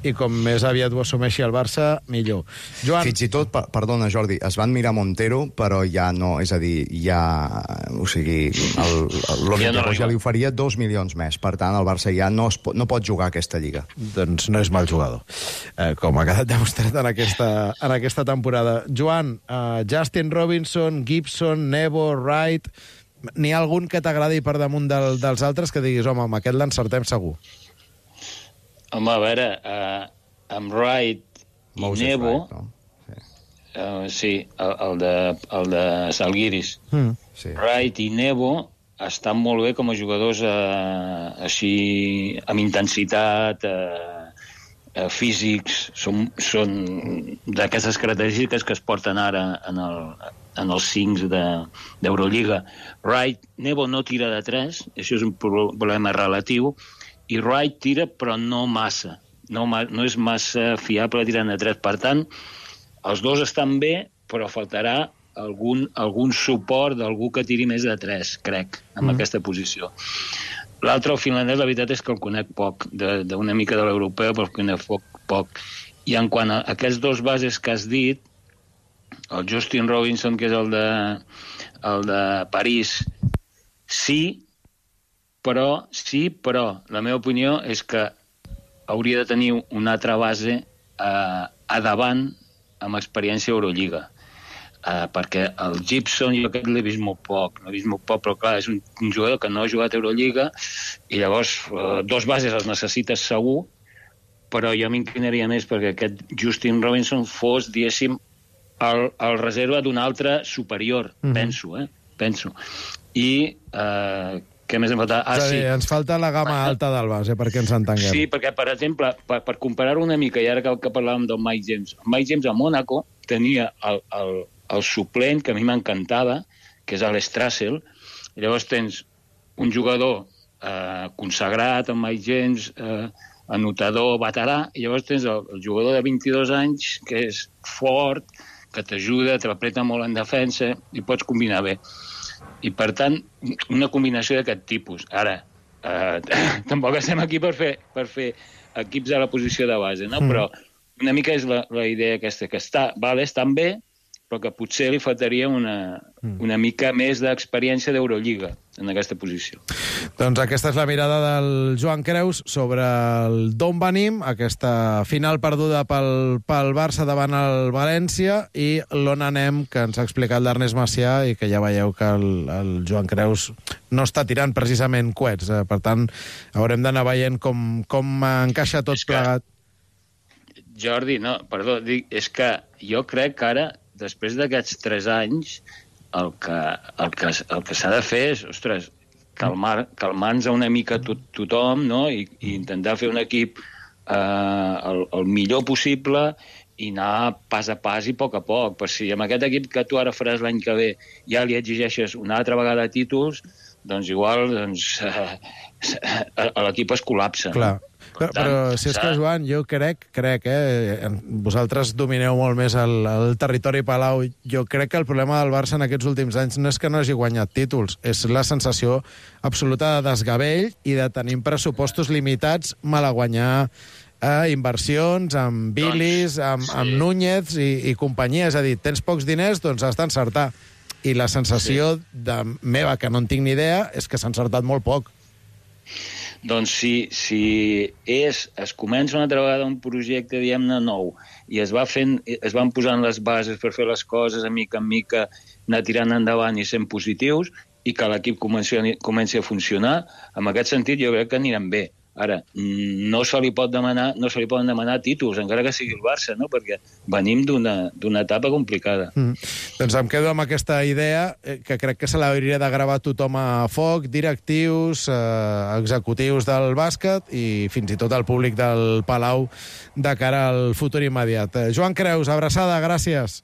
i com més aviat ho assumeixi el Barça, millor. Joan... Fins i tot, perdona Jordi, es van mirar Montero, però ja no, és a dir, o sigui, l'Olympiacos ja li oferia 2 milions més. Per tant, el Barça ja no pot jugar a aquesta lliga. Doncs no és mal jugador, com ha quedat demostrat en aquesta temporada. Joan, Justin Robinson, Gibson, Nebo, Wright... N'hi ha algun que t'agradi per damunt dels altres que diguis, home, amb aquest l'encertem segur? Home, a veure, amb Wright i Nebo... Sí, el de Zalgiris. Wright i Nebo estan molt bé com a jugadors així amb intensitat, físics, són d'aquestes característiques que es porten ara en els 5 d'Eurolliga. Wright, Nebo no tira de 3, això és un problema relatiu, i Wright tira però no massa, no és massa fiable tirant de 3. Per tant, els dos estan bé, però faltarà algun suport d'algú que tiri més de 3, crec, en aquesta posició. L'altre, el finlandès, la veritat és que el conec poc, d'una mica de l'europeu, però el conec poc. I en quant a aquests dos bases que has dit, el Justin Robinson, que és el de París, sí, però la meva opinió és que hauria de tenir una altra base a davant amb experiència a Eurolliga. Perquè el Gibson jo crec que l'he vist molt poc, però clar, és un jugador que no ha jugat a Eurolliga i llavors dos bases els necessites segur, però jo m'inclinaria més perquè aquest Justin Robinson fos, diguéssim, el reserva d'un altre superior, penso. I què més em falta? Sí, ens falta la gamma alta del base, perquè ens entenguem. Sí, perquè, per exemple, per comparar-ho una mica, i ara que parlàvem del Mike James, Mike James a Mònaco tenia el suplent, que a mi m'encantava, que és l'Strassel, i llavors tens un jugador consagrat, el Mike James, anotador, veterà, i llavors tens el jugador de 22 anys, que és fort, que t'ajuda, t'apreta molt en defensa, i pots combinar bé. I, per tant, una combinació d'aquest tipus. Ara, tampoc estem aquí per fer equips a la posició de base, no? Però una mica és la idea aquesta, que estan bé, però que potser li faltaria una mica més d'experiència d'Eurolliga en aquesta posició. Doncs aquesta és la mirada del Joan Creus sobre d'on venim, aquesta final perduda pel Barça davant el València, i l'on anem, que ens ha explicat l'Ernest Macià, i que ja veieu que el Joan Creus no està tirant precisament coets. Per tant, haurem d'anar veient com encaixa tot plegat. Jordi, no, perdó, és que jo crec que ara, després d'aquests 3 anys, el que s'ha de fer és, ostres, calmar-nos una mica tothom, no? I intentar fer un equip el millor possible i anar pas a pas i a poc, per si amb aquest equip que tu ara faràs l'any que ve ja li exigeixes una altra vegada títols, doncs igual l'equip es col·lapsa. Clar. Però si és que, Joan, jo crec, vosaltres domineu molt més el territori Palau, jo crec que el problema del Barça en aquests últims anys no és que no hagi guanyat títols, és la sensació absoluta de desgavell i de tenir pressupostos limitats, mal a guanyar inversions, amb Bilis, amb Núñez i companyia. És a dir, tens pocs diners, doncs has d'encertar. I la sensació meva, que no en tinc ni idea, és que s'ha encertat molt poc. Doncs si es comença una altra vegada un projecte, diguem-ne, nou, i es van posant les bases per fer les coses a mica en mica, anar tirant endavant i sent positius, i que l'equip comenci a funcionar, en aquest sentit jo crec que aniran bé. Ara, no se li poden demanar títols, encara que sigui el Barça, no? Perquè venim d'una etapa complicada. Doncs em quedo amb aquesta idea, que crec que se l'hauria de gravar tothom a foc, directius, executius del bàsquet i fins i tot el públic del Palau de cara al futur immediat. Joan Creus, abraçada, gràcies.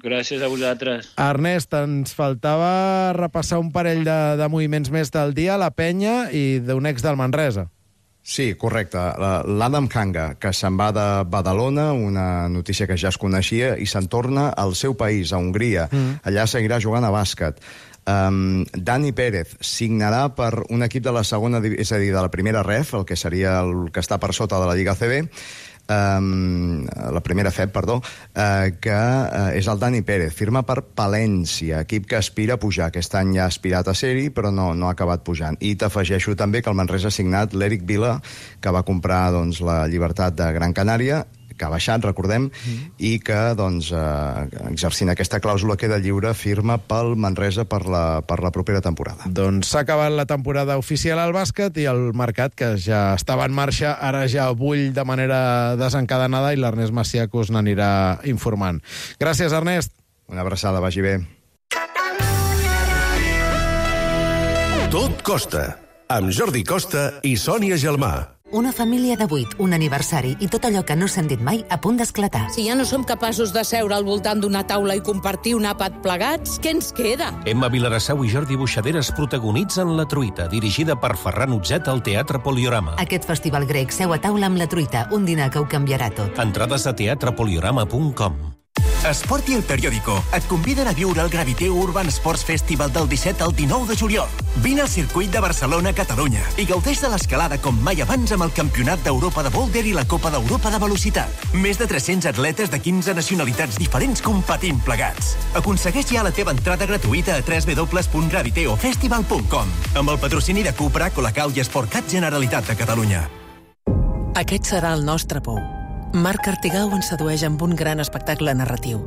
Gràcies a vosaltres. Ernest, ens faltava repassar un parell de moviments més del dia, la Penya i d'un ex del Manresa. Sí, correcte. L'Adam Kanga, que se'n va de Badalona, una notícia que ja es coneixia, i se'n torna al seu país, a Hongria. Allà seguirà jugant a bàsquet. Dani Pérez signarà per un equip de la segona, és a dir, de la primera ref, el que seria el que està per sota de la Lliga CB, la primera FEB, perdó, que és el Dani Pérez. Firma per Palència, equip que aspira a pujar. Aquest any ja ha aspirat a ser-hi, però no ha acabat pujant. I t'afegeixo també que el Manresa ha signat l'Eric Vila, que va comprar la Llibertat de Gran Canària, que ha baixat, recordem, i que, exercint aquesta clàusula, queda lliure, firma pel Manresa per la propera temporada. Doncs s'ha acabat la temporada oficial al bàsquet i el mercat, que ja estava en marxa, ara ja bull de manera desencadenada, i l'Ernest Macià que us n'anirà informant. Gràcies, Ernest. Una abraçada, vagi bé. Tot costa, amb Jordi Costa i Sònia Gelmà. Una família de 8, un aniversari i tot allò que no s'han dit mai a punt d'esclatar. Si ja no som capaços de seure al voltant d'una taula i compartir un àpat plegats, què ens queda? Emma Vilarassau i Jordi Buixaderes protagonitzen La Truita, dirigida per Ferran Utzet al Teatre Poliorama. Aquest festival grec seu a taula amb La Truita, un dinar que ho canviarà tot. Entrades a teatrepoliorama.com. Esport i El Periódico et conviden a viure el Graviteu Urban Sports Festival del 17 al 19 de juliol. Vine al circuit de Barcelona-Catalunya i gaudeix de l'escalada com mai abans amb el Campionat d'Europa de Boulder i la Copa d'Europa de Velocitat. Més de 300 atletes de 15 nacionalitats diferents competint plegats. Aconsegueix ja la teva entrada gratuïta a www.graviteofestival.com amb el patrocini de Cupra, Colacau i Sportcat Generalitat de Catalunya. Aquest serà el nostre pou. Marc Artigau ens sedueix amb un gran espectacle narratiu.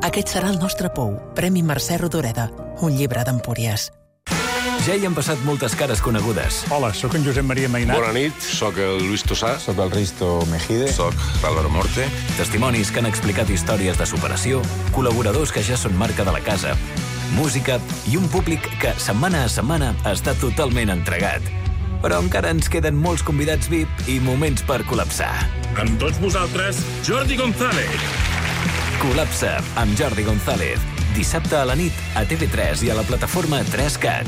Aquest serà el nostre pou. Premi Mercè Rodoreda. Un llibre d'Empúries. Ja hi han passat moltes cares conegudes. Hola, sóc en Josep Maria Mainat. Bona nit, sóc el Luis Tosà. Sóc el Risto Mejide. Sóc l'Álvaro Morte. Testimonis que han explicat històries de superació, col·laboradors que ja són marca de la casa, música i un públic que, setmana a setmana, està totalment entregat. Però encara ens queden molts convidats VIP i moments per col·lapsar. Amb tots vosaltres, Jordi González. Col·lapsa amb Jordi González. Dissabte a la nit a TV3 i a la plataforma 3CAT.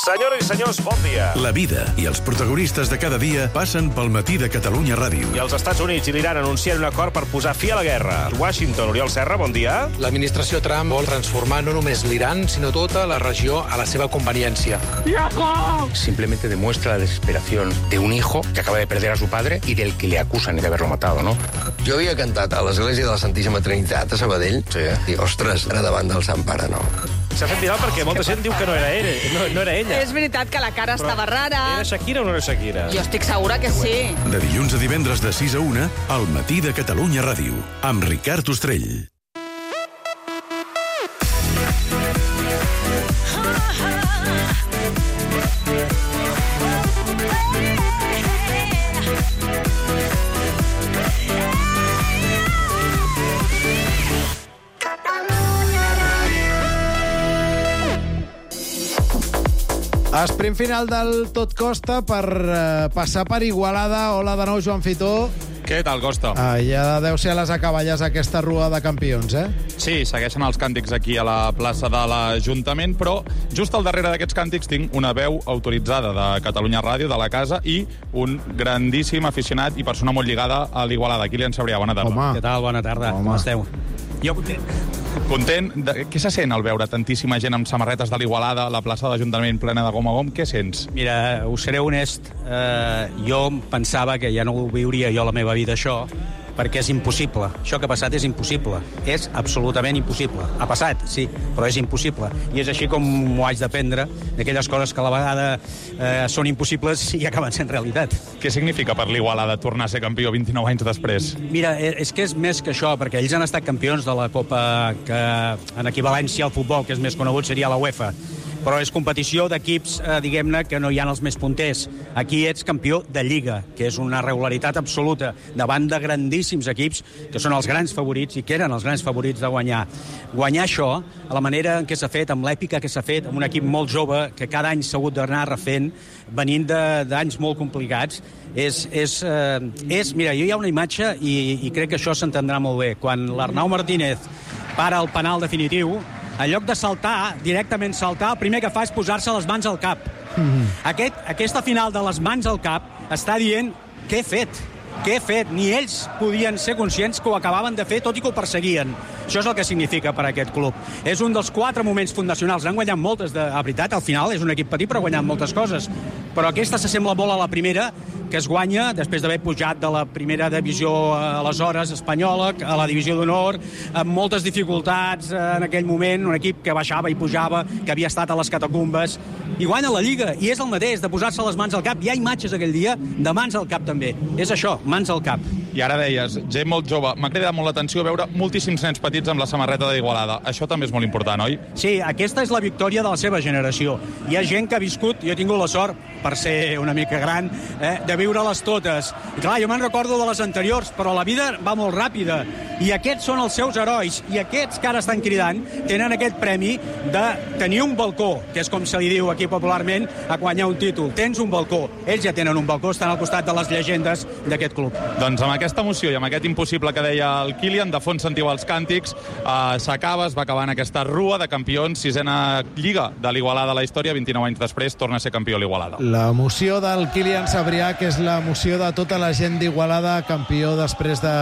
Senyores i senyors, bon dia. La vida i els protagonistes de cada dia passen pel Matí de Catalunya Ràdio. I els Estats Units i l'Iran anuncien un acord per posar fi a la guerra. Washington, Oriol Serra, bon dia. L'administració Trump vol transformar no només l'Iran, sinó tota la regió a la seva conveniència. Simplemente demuestra la desesperación de un hijo que acaba de perder a su padre y del que le acusan de haberlo matado, ¿no? Jo havia cantat a l'església de la Santíssima Trinitat a Sabadell. Sí. I, ostres, era davant del Sant Pare, no? S'ha fet viral perquè molta gent diu que no era ella. És veritat que la cara estava rara. Era Shakira o no era Shakira? Jo estic segura que sí. De dilluns a divendres de 6 a 1, al Matí de Catalunya Ràdio, amb Ricard Ostrell. Sprint final del Tot Costa per passar per Igualada. Hola de nou, Joan Fitó. Què tal, Costa? Ja deu ser a les acaballes aquesta rua de campions, eh? Sí, segueixen els càntics aquí a la plaça de l'Ajuntament, però just al darrere d'aquests càntics tinc una veu autoritzada de Catalunya Ràdio, de la casa, i un grandíssim aficionat i persona molt lligada a l'Igualada. Kilian Sabrià, bona tarda. Home. Què tal? Bona tarda. Com esteu? Jo content. Què se sent al veure tantíssima gent amb samarretes de l'Igualada, la plaça de l'Ajuntament plena de gom a gom? Què sents? Mira, us seré honest, jo pensava que ja no ho viuria jo la meva vida, això, perquè és impossible. Això que ha passat és impossible. És absolutament impossible. Ha passat, sí, però és impossible. I és així com m'ho haig d'aprendre, d'aquelles coses que a la vegada són impossibles i acaben sent realitat. Què significa per l'Igualada tornar a ser campió 29 anys després? Mira, és que és més que això, perquè ells han estat campions de la Copa que en equivalència al futbol, que és més conegut, seria la UEFA. Però és competició d'equips, diguem-ne, que no hi ha els més punters. Aquí ets campió de Lliga, que és una regularitat absoluta, davant de grandíssims equips, que són els grans favorits i que eren els grans favorits de guanyar. Guanyar això, a la manera en què s'ha fet, amb l'èpica que s'ha fet, amb un equip molt jove, que cada any s'ha hagut d'anar refent, venint d'anys molt complicats, mira, jo hi ha una imatge i crec que això s'entendrà molt bé. Quan l'Arnau Martínez para el penal definitiu, en lloc de saltar, directament saltar, el primer que fa és posar-se les mans al cap. Aquesta final de les mans al cap està dient què he fet. Què he fet? Ni ells podien ser conscients que ho acabaven de fer, tot i que ho perseguien. Això és el que significa per a aquest club. És un dels 4 moments fundacionals. Han guanyat moltes, a veritat, al final és un equip petit, però ha guanyat moltes coses. Però aquesta s'assembla molt a la primera, que es guanya després d'haver pujat de la primera divisió aleshores espanyola a la divisió d'honor, amb moltes dificultats en aquell moment, un equip que baixava i pujava, que havia estat a les catacumbes, i guanya la Lliga, i és el mateix, de posar-se les mans al cap. Hi ha imatges aquell dia de mans al cap també. És això, mans al cap. I ara deies, gent molt jove. M'ha cridat molt l'atenció veure moltíssims nens petits amb la samarreta d'Igualada. Això també és molt important, oi? Sí, aquesta és la victòria de la seva generació. Hi ha gent que ha viscut, jo he tingut la sort, per ser una mica gran, de viure-les totes. I clar, jo me'n recordo de les anteriors, però la vida va molt ràpida. I aquests són els seus herois. I aquests que ara estan cridant tenen aquest premi de tenir un balcó, que és com se li diu aquí popularment, a guanyar un títol. Tens un balcó. Ells ja tenen un balcó, estan al costat de les llegendes d'aquest club. Doncs amb aquesta emoció i amb aquest impossible que deia el Kylian, de fons sentiu els càntics, s'acaba, es va acabar en aquesta rua de campions, 6a Lliga de l'Igualada a la història, 29 anys després torna a ser campió a l'Igualada. L'emoció del Kylian Sabrià, que és l'emoció de tota la gent d'Igualada, campió després de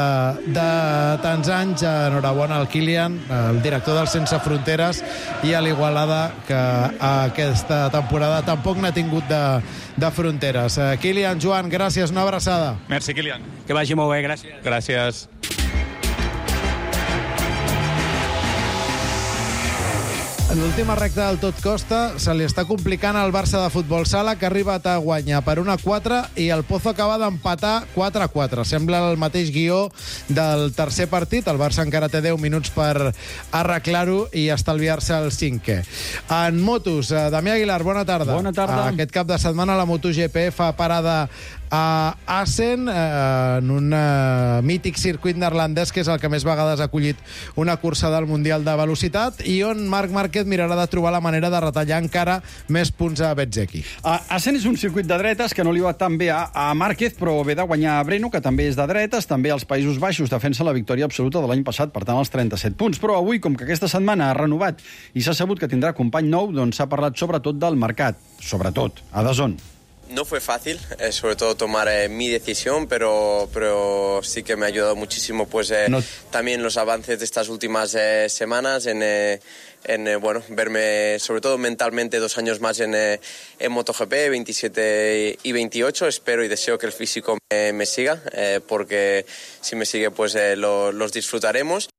tants anys. Enhorabona al Kylian, el director del Sense Fronteres, i a l'Igualada, que aquesta temporada tampoc n'ha tingut de fronteres. Kylian, Joan, gràcies, una abraçada. Merci, Kylian. Que vagi molt bé, gràcies. Gràcies. En l'última recta del Tot Costa se li està complicant al Barça de Futbol Sala, que ha arribat a guanyar per 1-4 i el Pozo acaba d'empatar 4-4. Sembla el mateix guió del tercer partit. El Barça encara té 10 minuts per arreglar-ho i estalviar-se el 5è. En motos, Damià Aguilar, bona tarda. Bona tarda. Aquest cap de setmana la MotoGP fa parada a Assen, en un mític circuit neerlandès, que és el que més vegades ha acollit una cursa del Mundial de Velocitat, i on Marc Márquez mirarà de trobar la manera de retallar encara més punts a Bezzecchi. Assen és un circuit de dretes que no li va tan bé a Márquez, però ve de guanyar a Breno, que també és de dretes, també als Països Baixos defensa la victòria absoluta de l'any passat, per tant els 37 punts. Però avui, com que aquesta setmana ha renovat i s'ha sabut que tindrà company nou, doncs s'ha parlat sobretot del mercat, sobretot a DAZN. No fue fácil, sobre todo tomar mi decisión, pero sí que me ha ayudado muchísimo también los avances de estas últimas semanas en verme, sobre todo mentalmente, 2 años más en MotoGP, 27 y 28. Espero y deseo que el físico me siga, porque si me sigue los disfrutaremos.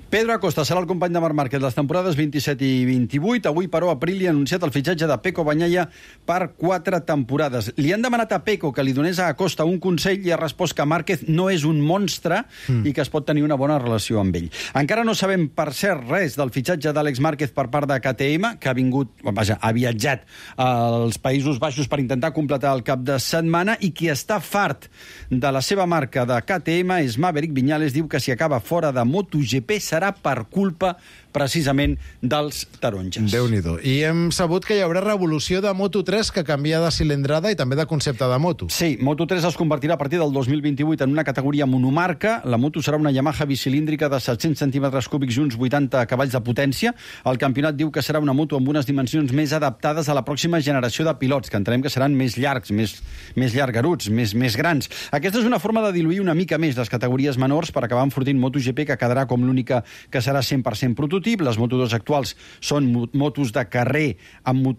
Pedro Acosta serà el company de Marc Márquez les temporades 27 i 28. Avui, però, Aprilia ha anunciat el fitxatge de Pecco Bagnaia per 4 temporades. Li han demanat a Pecco que li donés a Acosta un consell i ha respost que Márquez no és un monstre i que es pot tenir una bona relació amb ell. Encara no sabem, per cert, res del fitxatge d'Àlex Márquez per part de KTM, que ha viatjat als Països Baixos per intentar completar el cap de setmana, i qui està fart de la seva marca de KTM és Maverick Viñales. Diu que si acaba fora de MotoGP serà per culpa precisament dels taronges. Déu-n'hi-do. I hem sabut que hi haurà revolució de Moto3, que canvia de cilindrada i també de concepte de moto. Sí, Moto3 es convertirà a partir del 2028 en una categoria monomarca. La moto serà una Yamaha bicilíndrica de 700 centímetres cúbics i uns 80 cavalls de potència. El campionat diu que serà una moto amb unes dimensions més adaptades a la pròxima generació de pilots, que entenem que seran més llargs, més llargaruts, més grans. Aquesta és una forma de diluir una mica més les categories menors per acabar enfortint MotoGP, que quedarà com l'única que serà 100% prototip. Les Moto2 actuals són motos de carrer amb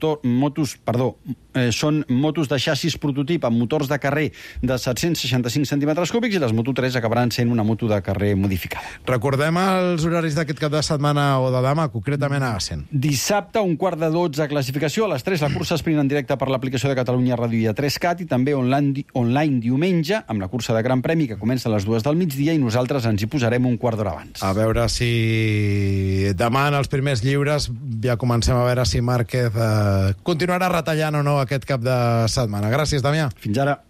són motos de xassis prototip amb motors de carrer de 765 centímetres cúbics, i les Moto3 acabaran sent una moto de carrer modificada. Recordem els horaris d'aquest cap de setmana o de demà, concretament a Assen. Dissabte, 11:45, classificació. A les 3, la cursa sprint en directe per l'aplicació de Catalunya Ràdio i a 3CAT, i també online diumenge, amb la cursa de Gran Premi, que comença a les 2 del migdia, i nosaltres ens hi posarem un quart d'hora abans. A veure si demà, en els primers lliures, ja comencem a veure si Márquez continuarà retallant o no aquest cap de setmana. Gràcies, Damià. Fins ara.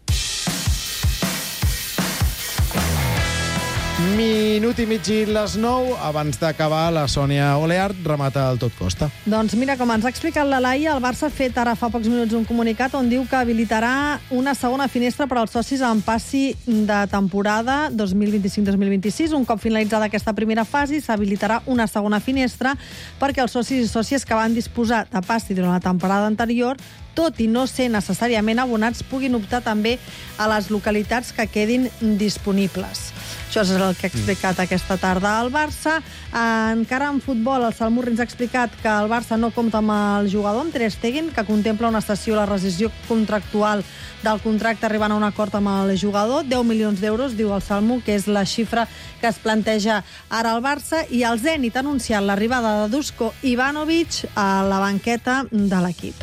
Minut i mig i les 9. Abans d'acabar, la Sònia Oleart remata el Tot Costa. Doncs mira, com ens ha explicat la Laia, el Barça ha fet ara fa pocs minuts un comunicat on diu que habilitarà una segona finestra per als socis en passi de temporada 2025-2026. Un cop finalitzada aquesta primera fase, s'habilitarà una segona finestra perquè els socis i sòcies que van disposar de passi durant la temporada anterior, tot i no ser necessàriament abonats, puguin optar també a les localitats que quedin disponibles. Això és el que ha explicat aquesta tarda al Barça. Encara en futbol, el Salmurri ens ha explicat que el Barça no compta amb el jugador, amb Ter Stegen, que contempla una cessió a la rescissió contractual del contracte arribant a un acord amb el jugador. 10 milions d'euros, diu el Salmo, que és la xifra que es planteja ara al Barça, i el Zenit ha anunciat l'arribada de Duško Ivanović a la banqueta de l'equip.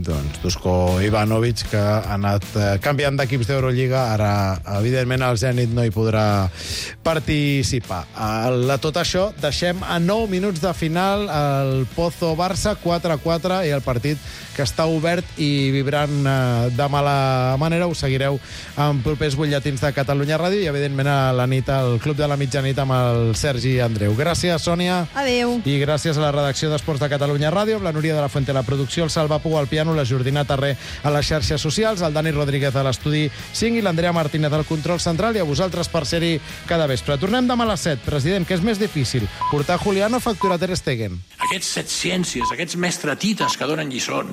doncs, Dusko Ivanovic, que ha anat canviant d'equips d'Eurolliga. Ara, evidentment, el Zenit no hi podrà participar. A tot això, deixem a 9 minuts de final el Pozo-Barça, 4-4, i el partit que està obert i vibrant de mala manera. Ho seguireu en propers butlletins de Catalunya Ràdio i, evidentment, a la nit, al Club de la Mitjanit amb el Sergi Andreu. Gràcies, Sònia. Adéu. I gràcies a la redacció d'Esports de Catalunya Ràdio, amb la Núria de la Fuente a la producció, el Salva Pou al piano, la Jordina Tarré a les xarxes socials, el Dani Rodríguez a l'estudi 5 i l'Andrea Martínez al control central, i a vosaltres per ser-hi cada vespre. Tornem demà a les 7. President, què és més difícil? Portar Julián o facturar Ter Stegen? Aquests setciències, aquests mestratites que donen lliçons.